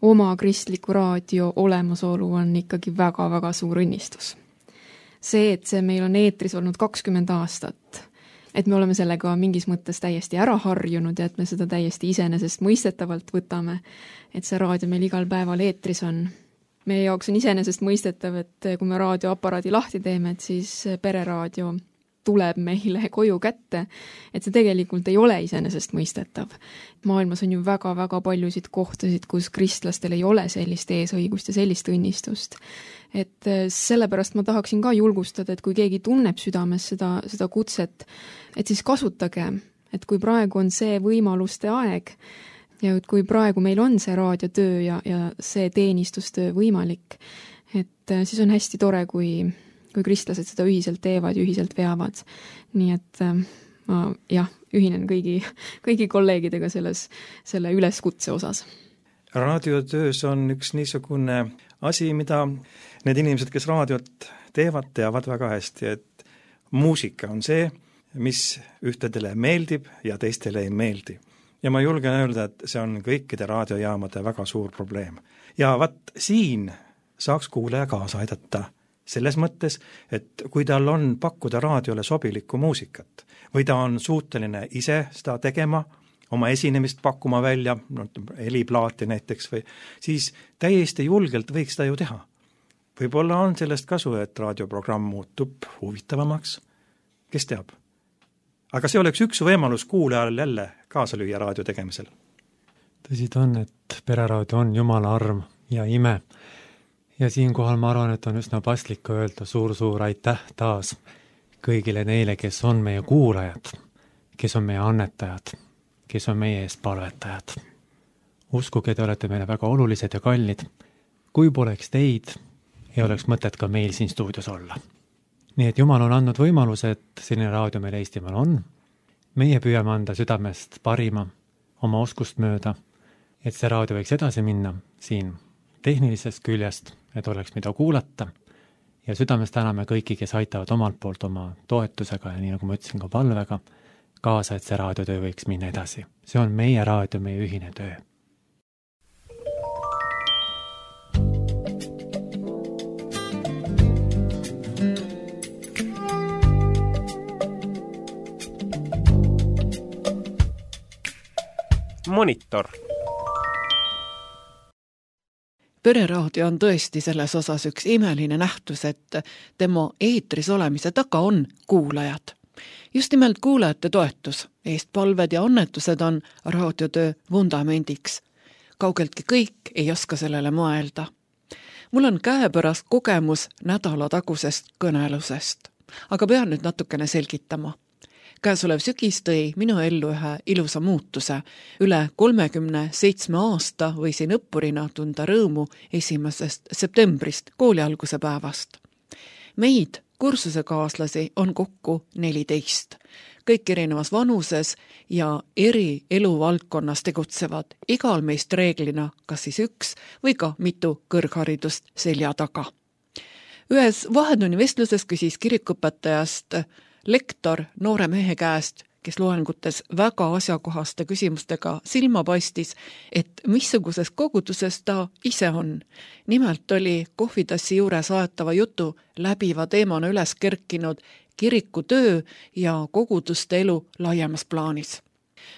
oma kristliku raadio olemasolu on ikkagi väga-väga suur õnnistus. See, et see meil on eetris olnud kakskümmend aastat, et me oleme sellega mingis mõttes täiesti ära harjunud ja et me seda täiesti iseenesest mõistetavalt võtame, et see raadio meil igal päeval eetris on. Meie jaoks on iseenesest mõistetav, et kui me raadioaparaadi lahti teeme, et siis pereraadio tuleb meile koju kätte, et see tegelikult ei ole iseenesest mõistetav. Maailmas on ju väga-väga paljusid kohtasid, kus kristlastel ei ole sellist eesõigust ja sellist õnnistust. Et sellepärast ma tahaksin ka julgustada, et kui keegi tunneb südames seda, seda kutset, et siis kasutage, et kui praegu on see võimaluste aeg ja kui praegu meil on see raadiotöö ja, ja see teenistustöö võimalik, et siis on hästi tore, kui kui kristlased seda ühiselt teevad ja ühiselt veavad. Nii et ma jah, ühinen kõigi, kõigi kolleegidega selles, selle üleskutse osas. Raadiotöös on üks niisugune asi, mida need inimesed, kes raadiot teevad, teavad väga hästi, et muusika on see, mis ühtedele meeldib ja teistele ei meeldi. Ja ma julgen öelda, et see on kõikide raadiojaamade väga suur probleem. Ja vat siin saaks kuulaja kaasa aidata selles mõttes, et kui tal on pakkuda raadiole sobilikku muusikat või ta on suuteline ise seda tegema, oma esinemist pakkuma välja, no, heliplaati näiteks, või siis täiesti julgelt võiks ta ju teha. Võib-olla on sellest kasu, et raadioprogramm muutub huvitavamaks, kes teab. Aga see oleks üks võimalus kuulajal jälle kaasa lüüa raadio tegemisel. Tõsi ta on, et pereraadio on Jumala arm ja ime. Ja siinkohal ma arvan, et on üsna paslik öelda suur-suur aitäh taas kõigile neile, kes on meie kuulajad, kes on meie annetajad, kes on meie eest palvetajad. Uskuge, te olete meile väga olulised ja kallid. Kui poleks teid, ei oleks mõtet ka meil siin stuudios olla. Nii et Jumal on andnud võimaluse, et selline raadio meil Eestimaal on. Meie püüame anda südamest parima, oma oskust mööda, et see raadio võiks edasi minna siin tehnilisest küljest, et oleks mida kuulata ja südamest täname kõiki, kes aitavad omalt poolt oma toetusega ja nii nagu ma ütlesin ka palvega kaasa, et see raadiotöö võiks minna edasi. See on meie raadio, meie ühine töö. Monitor. Pereraadio on tõesti selles osas üks imeline nähtus, et tema eetris olemise taga on kuulajad. Just nimelt kuulajate toetus, eestpalved ja annetused on raadiotöö vundamendiks. Kaugeltki kõik ei oska sellele mõelda. Mul on käepärast kogemus nädala tagusest kõnelusest, aga pean nüüd natukene selgitama. käesolev sügis tõi minu ellu ühe ilusa muutuse. Üle kolmekümne seitsme aasta võisin õppurina tunda rõõmu esimesest septembrist, kooli alguse päevast. Meid, kursusekaaslasi, on kokku neliteist. Kõik erinevas vanuses ja eri eluvaldkonnas tegutsevad, igal meist reeglina kas siis üks või ka mitu kõrgharidust selja taga. Ühes vahetunni vestluses küsis kirikuõpetajast lektor noore mehe käest, kes loengutes väga asjakohaste küsimustega silma paistis, et missuguses koguduses ta ise on. Nimelt oli kohvitassi juures aetava jutu läbiva teemana üles kerkinud kirikutöö ja koguduste elu laiemas plaanis.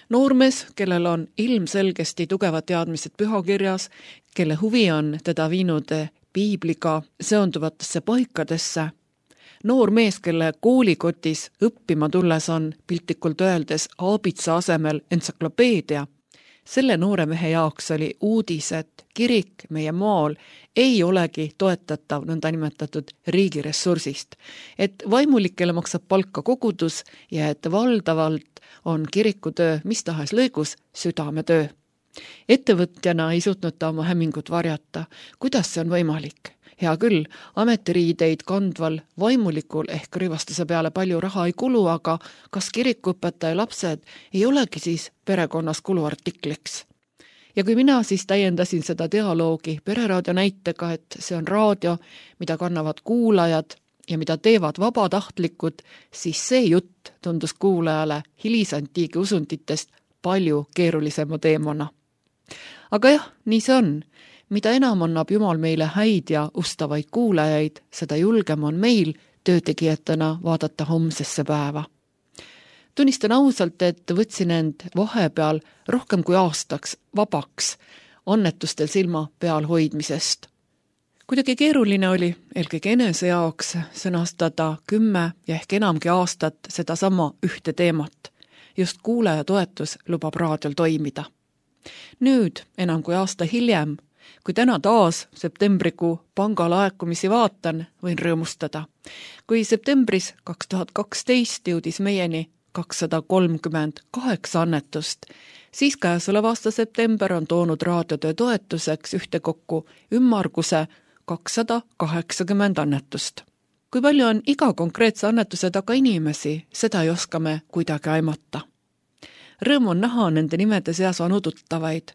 Noormees, kellel on ilmselgesti tugevad teadmised pühakirjas, kelle huvi on teda viinud piibliga seonduvatesse paikadesse, noor mees, kelle koolikotis õppima tulles on piltlikult öeldes aabitsa asemel entsüklopeedia, selle noore mehe jaoks oli uudis, et kirik meie maal ei olegi toetatav nõnda nimetatud riigi ressursist, et vaimulikele maksab palka kogudus ja et valdavalt on kirikutöö mis tahes lõigus südametöö. Ettevõtjana ei suutnud ta oma hämmingut varjata. Kuidas see on võimalik? Hea küll, ametiriideid kandval vaimulikul ehk rivastuse peale palju raha ei kulu, aga kas kirikuõpetaja lapsed ei olegi siis perekonnas kuluartikliks? Ja kui mina siis täiendasin seda dialoogi pereraadio näitega, et see on raadio, mida kannavad kuulajad ja mida teevad vabatahtlikud, siis see jutt tundus kuulajale hilisantiigi usunditest palju keerulisema teemana. Aga jah, nii see on. Mida enam annab Jumal meile häid ja ustavaid kuulajaid, seda julgem on meil töötegijatena vaadata homsesse päeva. Tunnistan ausalt, et võtsin end vahepeal rohkem kui aastaks vabaks annetustel silma peal hoidmisest. Kuidagi keeruline oli eelkõige enese jaoks sõnastada kümme ja ehk enamgi aastat seda sama ühte teemat. Just kuulaja toetus lubab raadiol toimida. Nüüd, enam kui aasta hiljem, kui täna taas septembrikuu pangalaekumisi vaatan, võin rõõmustada. Kui septembris kaks tuhat kaksteist jõudis meieni kakssada kolmkümmend kaheksa annetust, siis käesoleva aasta september on toonud raadiotöö toetuseks ühtekokku ümmarguse kakssada kaheksakümmend annetust. Kui palju on iga konkreetse annetuse taga inimesi, seda ei oska me kuidagi aimata. Rõõm on näha nende nimede seas vanututtavaid.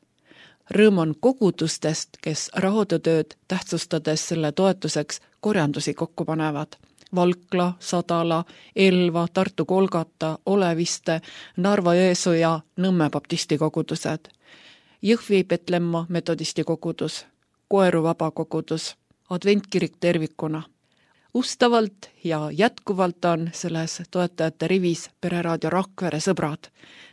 Rõõm on kogudustest, kes raadiotööd tähtsustades selle toetuseks korjandusi kokku panevad. Valkla, Sadala, Elva, Tartu Kolgata, Oleviste, Narva-Jõesuu ja Nõmme baptisti kogudused. Jõhvi Petlemma metodisti kogudus, Koeru vabakogudus, Adventkirik tervikuna. Ustavalt ja jätkuvalt on selles toetajate rivis Pereraadio Rakvere sõbrad.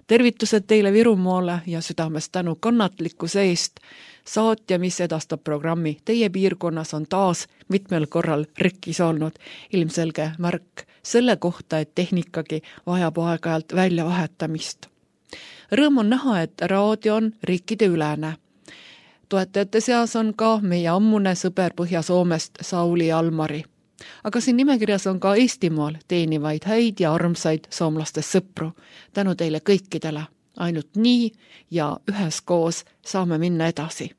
Tervitused teile Virumaale ja südamest tänu kannatlikkuse eest. Saatja, mis edastab programmi teie piirkonnas, on taas mitmel korral rikkis olnud. Ilmselge märk selle kohta, et tehnikagi vajab aeg-ajalt välja vahetamist. Rõõm on näha, et raadio on riikide ülene. Toetajate seas on ka meie ammune sõber Põhja-Soomest Sauli Almari. Aga siin nimekirjas on ka Eestimaal teenivaid häid ja armsaid soomlastest sõpru. Tänu teile kõikidele. Ainult nii ja üheskoos saame minna edasi.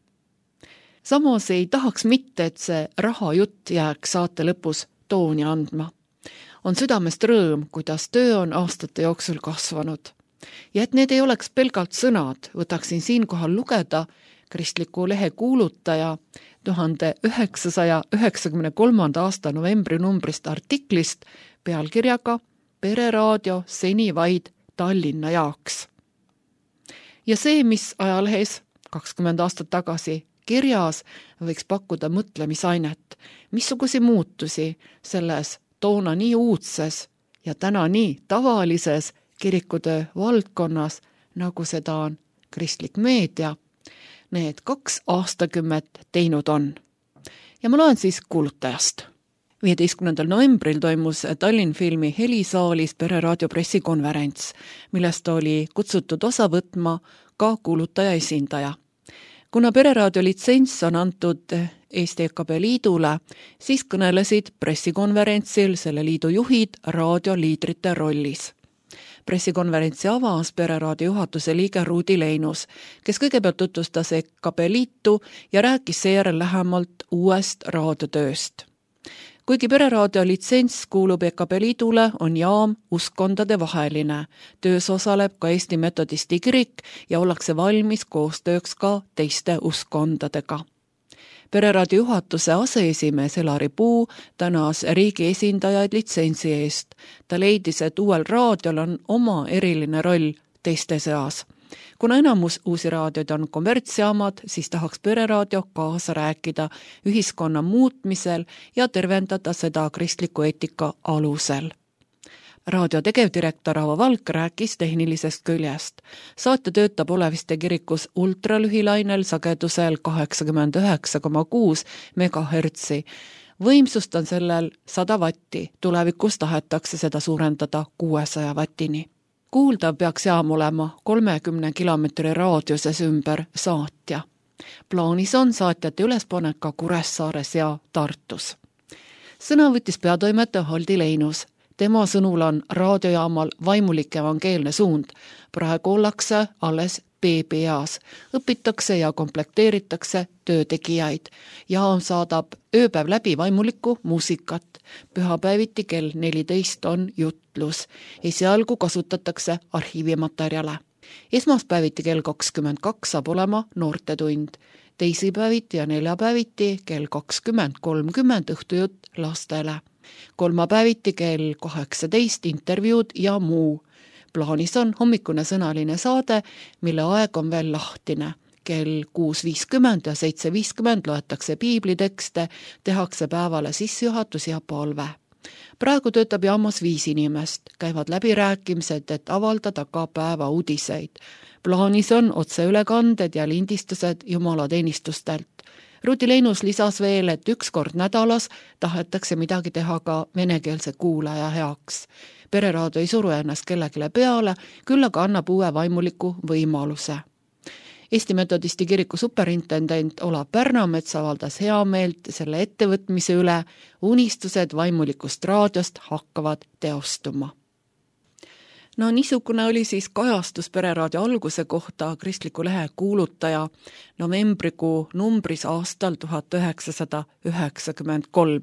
Samas ei tahaks mitte, et see rahajutt jääks saate lõpus tooni andma. On südamest rõõm, kuidas töö on aastate jooksul kasvanud. Ja et need ei oleks pelgalt sõnad, võtaksin siinkohal lugeda kristliku lehe kuulutaja tuhande üheksasaja üheksakümne kolmanda aasta novembri numbrist artiklist pealkirjaga Pereraadio seni vaid Tallinna jaoks. Ja see, mis ajalehes kakskümmend aastat tagasi kirjas, võiks pakkuda mõtlemisainet, missugusi muutusi selles toona nii uudses ja täna nii tavalises kirikutöö valdkonnas, nagu seda on kristlik meedia, need kaks aastakümmet teinud on. Ja ma loen siis kuulutajast. viieteistkümnendal novembril toimus Tallinn filmi Helisaalis Pereraadio pressikonverents, millest oli kutsutud osa võtma ka kuulutaja esindaja. Kuna Pereraadio litsents on antud Eesti E K B liidule, siis kõnelesid pressikonverentsil selle liidu juhid raadioliidrite rollis. Pressikonverentsi avas Pereraadio juhatuse liige Ruudi Leinus, kes kõigepealt tutvustas E K P liitu ja rääkis seejärel lähemalt uuest raadiotööst. Kuigi Pereraadio litsents kuulub E K P liidule, on jaam uskondade vaheline. Töös osaleb ka Eesti Metodisti kirik ja ollakse valmis koostööks ka teiste uskondadega. Pereraadio juhatuse aseesimees Elari Puu tänas riigi esindajaid litsentsi eest. Ta leidis, et uuel raadiol on oma eriline roll teiste seas. Kuna enamus uusi raadioid on kommertsjaamad, siis tahaks Pereraadio kaasa rääkida ühiskonna muutmisel ja tervendada seda kristliku eetika alusel. Raadio tegevdirektor Avo Valk rääkis tehnilisest küljest. Saate töötab Oleviste kirikus ultralühilainel sagedusel kaheksakümmend üheksa koma kuus megahertsi. Võimsust on sellel sada vatti, tulevikus tahetakse seda suurendada kuuesaja vatini. Kuuldav peaks jaam olema kolmekümne kilomeetri raadiuses ümber saatja. Plaanis on saatjate ülespanek ka Kuressaares ja Tartus. Sõna võttis peatoimetaja Haldi Leinus. Tema sõnul on raadiojaamal vaimulik evangeelne suund. Praegu ollakse alles beebieas. Õpitakse ja komplekteeritakse töötegijaid. Jaam saadab ööpäev läbi vaimulikku muusikat. Pühapäeviti kell neliteist on jutlus. Esialgu kasutatakse arhiivimaterjale. Esmaspäeviti kell kakskümmend kaks saab olema noortetund. Teisipäeviti ja neljapäeviti kell kakskümmend kolmkümmend õhtujutt lastele. Kolmapäeviti kell kaheksateist intervjuud ja muu. Plaanis on hommikune sõnaline saade, mille aeg on veel lahtine. Kell kuus viiskümmend ja seitse viiskümmend loetakse piiblitekste, tehakse päevale sissejuhatus ja palve. Praegu töötab jaamas viis inimest, käivad läbirääkimised, et avaldada ka päeva uudiseid. Plaanis on otseülekanded ja lindistused jumalateenistustelt. Ruudi Leinus lisas veel, et üks kord nädalas tahetakse midagi teha ka venekeelse kuulaja heaks. Pereraadio ei suru ennast kellegile peale, küll aga annab uue vaimuliku võimaluse. Eesti Metodisti kiriku superintendent Olav Pärnamets avaldas hea meelt selle ettevõtmise üle, unistused vaimulikust raadiost hakkavad teostuma. No niisugune oli siis kajastus Pereraadio alguse kohta kristliku lehe kuulutaja novembrikuu numbris aastal tuhat üheksasada üheksakümmend kolm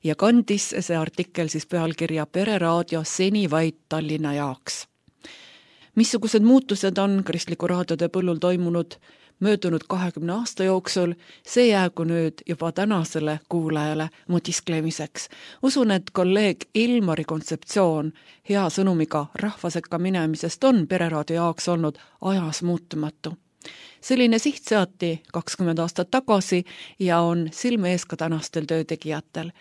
ja kandis see artikkel siis pealkirja Pereraadio seni vaid Tallinna jaoks. Missugused muutused on kristliku raadiotöö põllul toimunud möödunud kahekümne aasta jooksul, see jäägu nüüd juba tänasele kuulajale mõtisklemiseks. Usun, et kolleeg Ilmari kontseptsioon hea sõnumiga rahvasekka minemisest on Pereraadio jaoks olnud ajas muutumatu. Selline siht seati kakskümmend aastat tagasi ja on silme ees ka tänastel töötegijatel.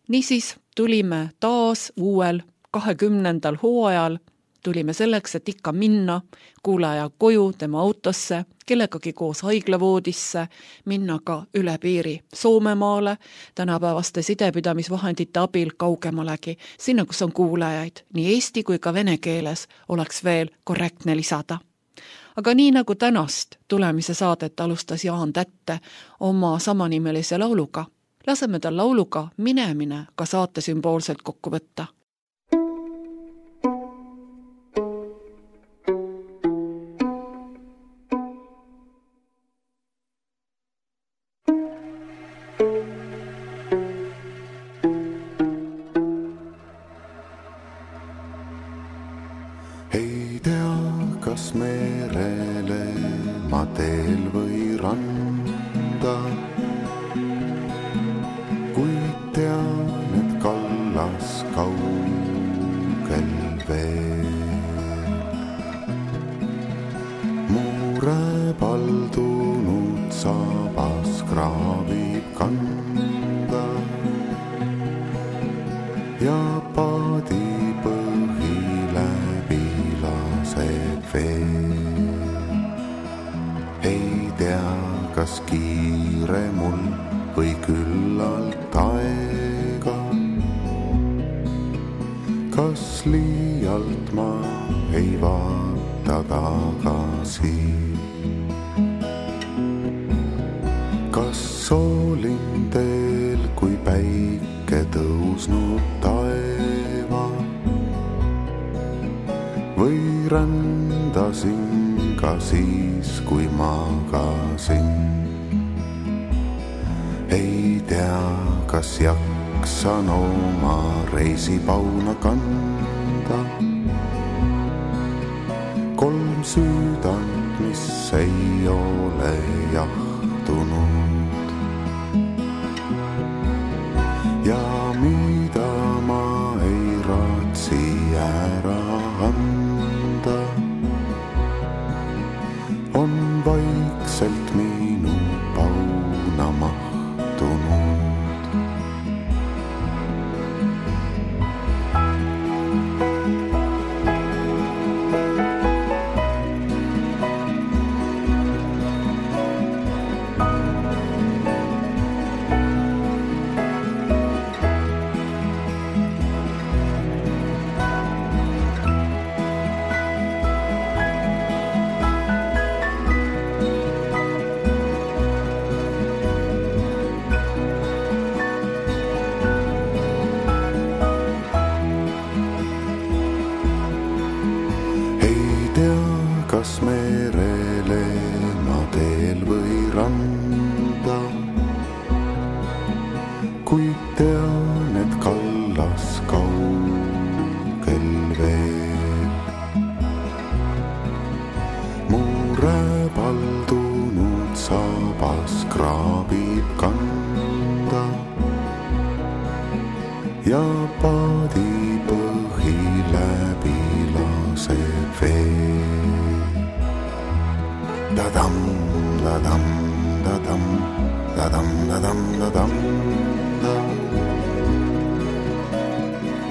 Niisiis tulime taas uuel kahekümnendal hooajal, tulime selleks, et ikka minna kuulaja koju, tema autosse, kellegagi koos haiglavoodisse, minna ka üle piiri Soomemaale, tänapäevaste sidepidamisvahendite abil kaugemalegi, sinna, kus on kuulajaid, nii eesti kui ka vene keeles oleks veel korrektne lisada. Aga nii nagu tänast tulemise saadet alustas Jaan Tätte oma samanimelise lauluga, laseme tal lauluga minemine ka saate sümboolselt kokku võtta. Ei tea, kas merele ma teel või randa, kuid tean, et kallas kaugel veel. Muure paldunud sabas kraavib kanda ja paadi ei tea, kas kiire mul või küllalt aega, kas liialt ma ei vaata tagasi, kas soolin teel, kui päike tõusnud taeva, või rändasin ka siis, kui magasin. Ei tea, kas jaksan oma reisipauna kanda. Kolm süüdant, mis ei ole jahtunud ja mida ma ei raatsi ära anda, on vaikselt minu pauna mahtunud. Kas merele ma teel või randa, kuid tean, et kallas kaugel veel. Mu räbaldunud saabas kraabib kanda ja paadi põhi läbi laseb veel. Da-dam, da-dam, da-dam, da-dam, da-dam, da-dam,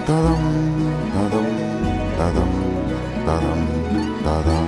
da-dam, da-dam, da-dam, da-dam, da-dam.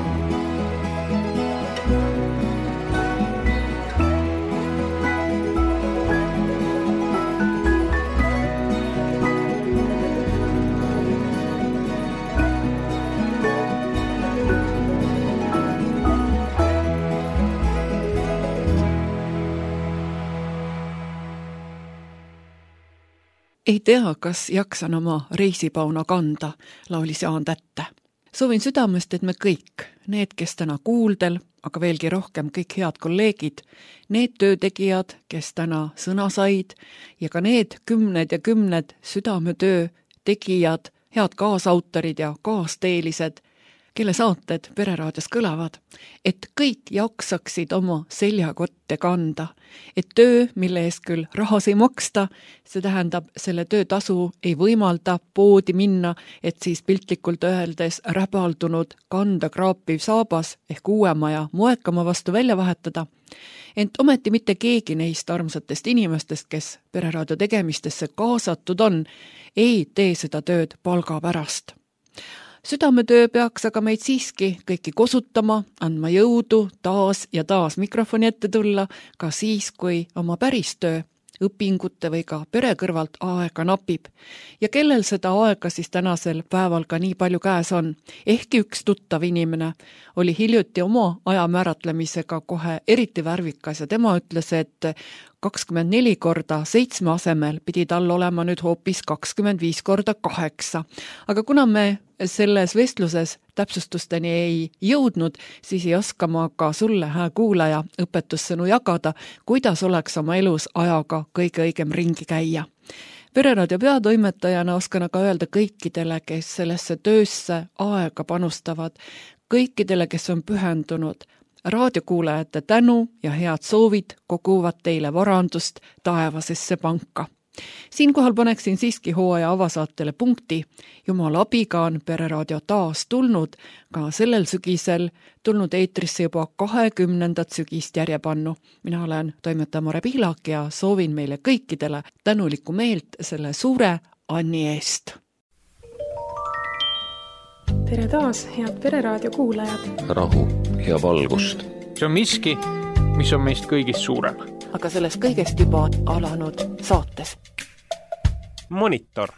Ei tea, kas jaksan oma reisipauna kanda, laulis Jaan Tätte. Soovin südamest, et me kõik, need, kes täna kuuldel, aga veelgi rohkem kõik head kolleegid, need töötegijad, kes täna sõna said ja ka need kümned ja kümned südametöö tegijad, head kaasautorid ja kaasteelised, kelle saated Pereraadios kõlavad, et kõik jaksaksid oma seljakotte kanda, et töö, mille eest küll rahas ei maksta, see tähendab, selle töötasu ei võimalda poodi minna, et siis piltlikult öeldes räbaldunud kanda kraapiv saabas ehk uuema ja moekama vastu välja vahetada. Ent ometi mitte keegi neist armsatest inimestest, kes Pereraadio tegemistesse kaasatud on, ei tee seda tööd palga pärast. Südametöö peaks aga meid siiski kõiki kosutama, andma jõudu taas ja taas mikrofoni ette tulla, ka siis, kui oma päris töö, õpingute või ka pere kõrvalt aega napib. Ja kellel seda aega siis tänasel päeval ka nii palju käes on? Ehkki üks tuttav inimene oli hiljuti oma aja määratlemisega kohe eriti värvikas ja tema ütles, et kakskümmend neli korda seitsme asemel pidi tal olema nüüd hoopis kakskümmend viis korda kaheksa. Aga kuna me selles vestluses täpsustusteni ei jõudnud, siis ei oska ma ka sulle, hää kuulaja, õpetussõnu jagada, kuidas oleks oma elus ajaga kõige õigem ringi käia. Pereraadio peatoimetajana oskan aga öelda kõikidele, kes sellesse töösse aega panustavad, kõikidele, kes on pühendunud, raadiokuulajate tänu ja head soovid koguvad teile varandust taevasesse panka. Siinkohal paneksin siiski hooaja avasaatele punkti. Jumala abiga on Pereraadio taas tulnud, ka sellel sügisel tulnud eetrisse juba kahekümnendat sügist järjepannu. Mina olen toimetaja Mare Pihlak ja soovin meile kõikidele tänulikku meelt selle suure Anni eest. Tere taas, head Pereraadio kuulajad! Rahu ja valgust. See on miski, mis on meist kõigist suurem. Aga sellest kõigest juba alanud saates. Monitor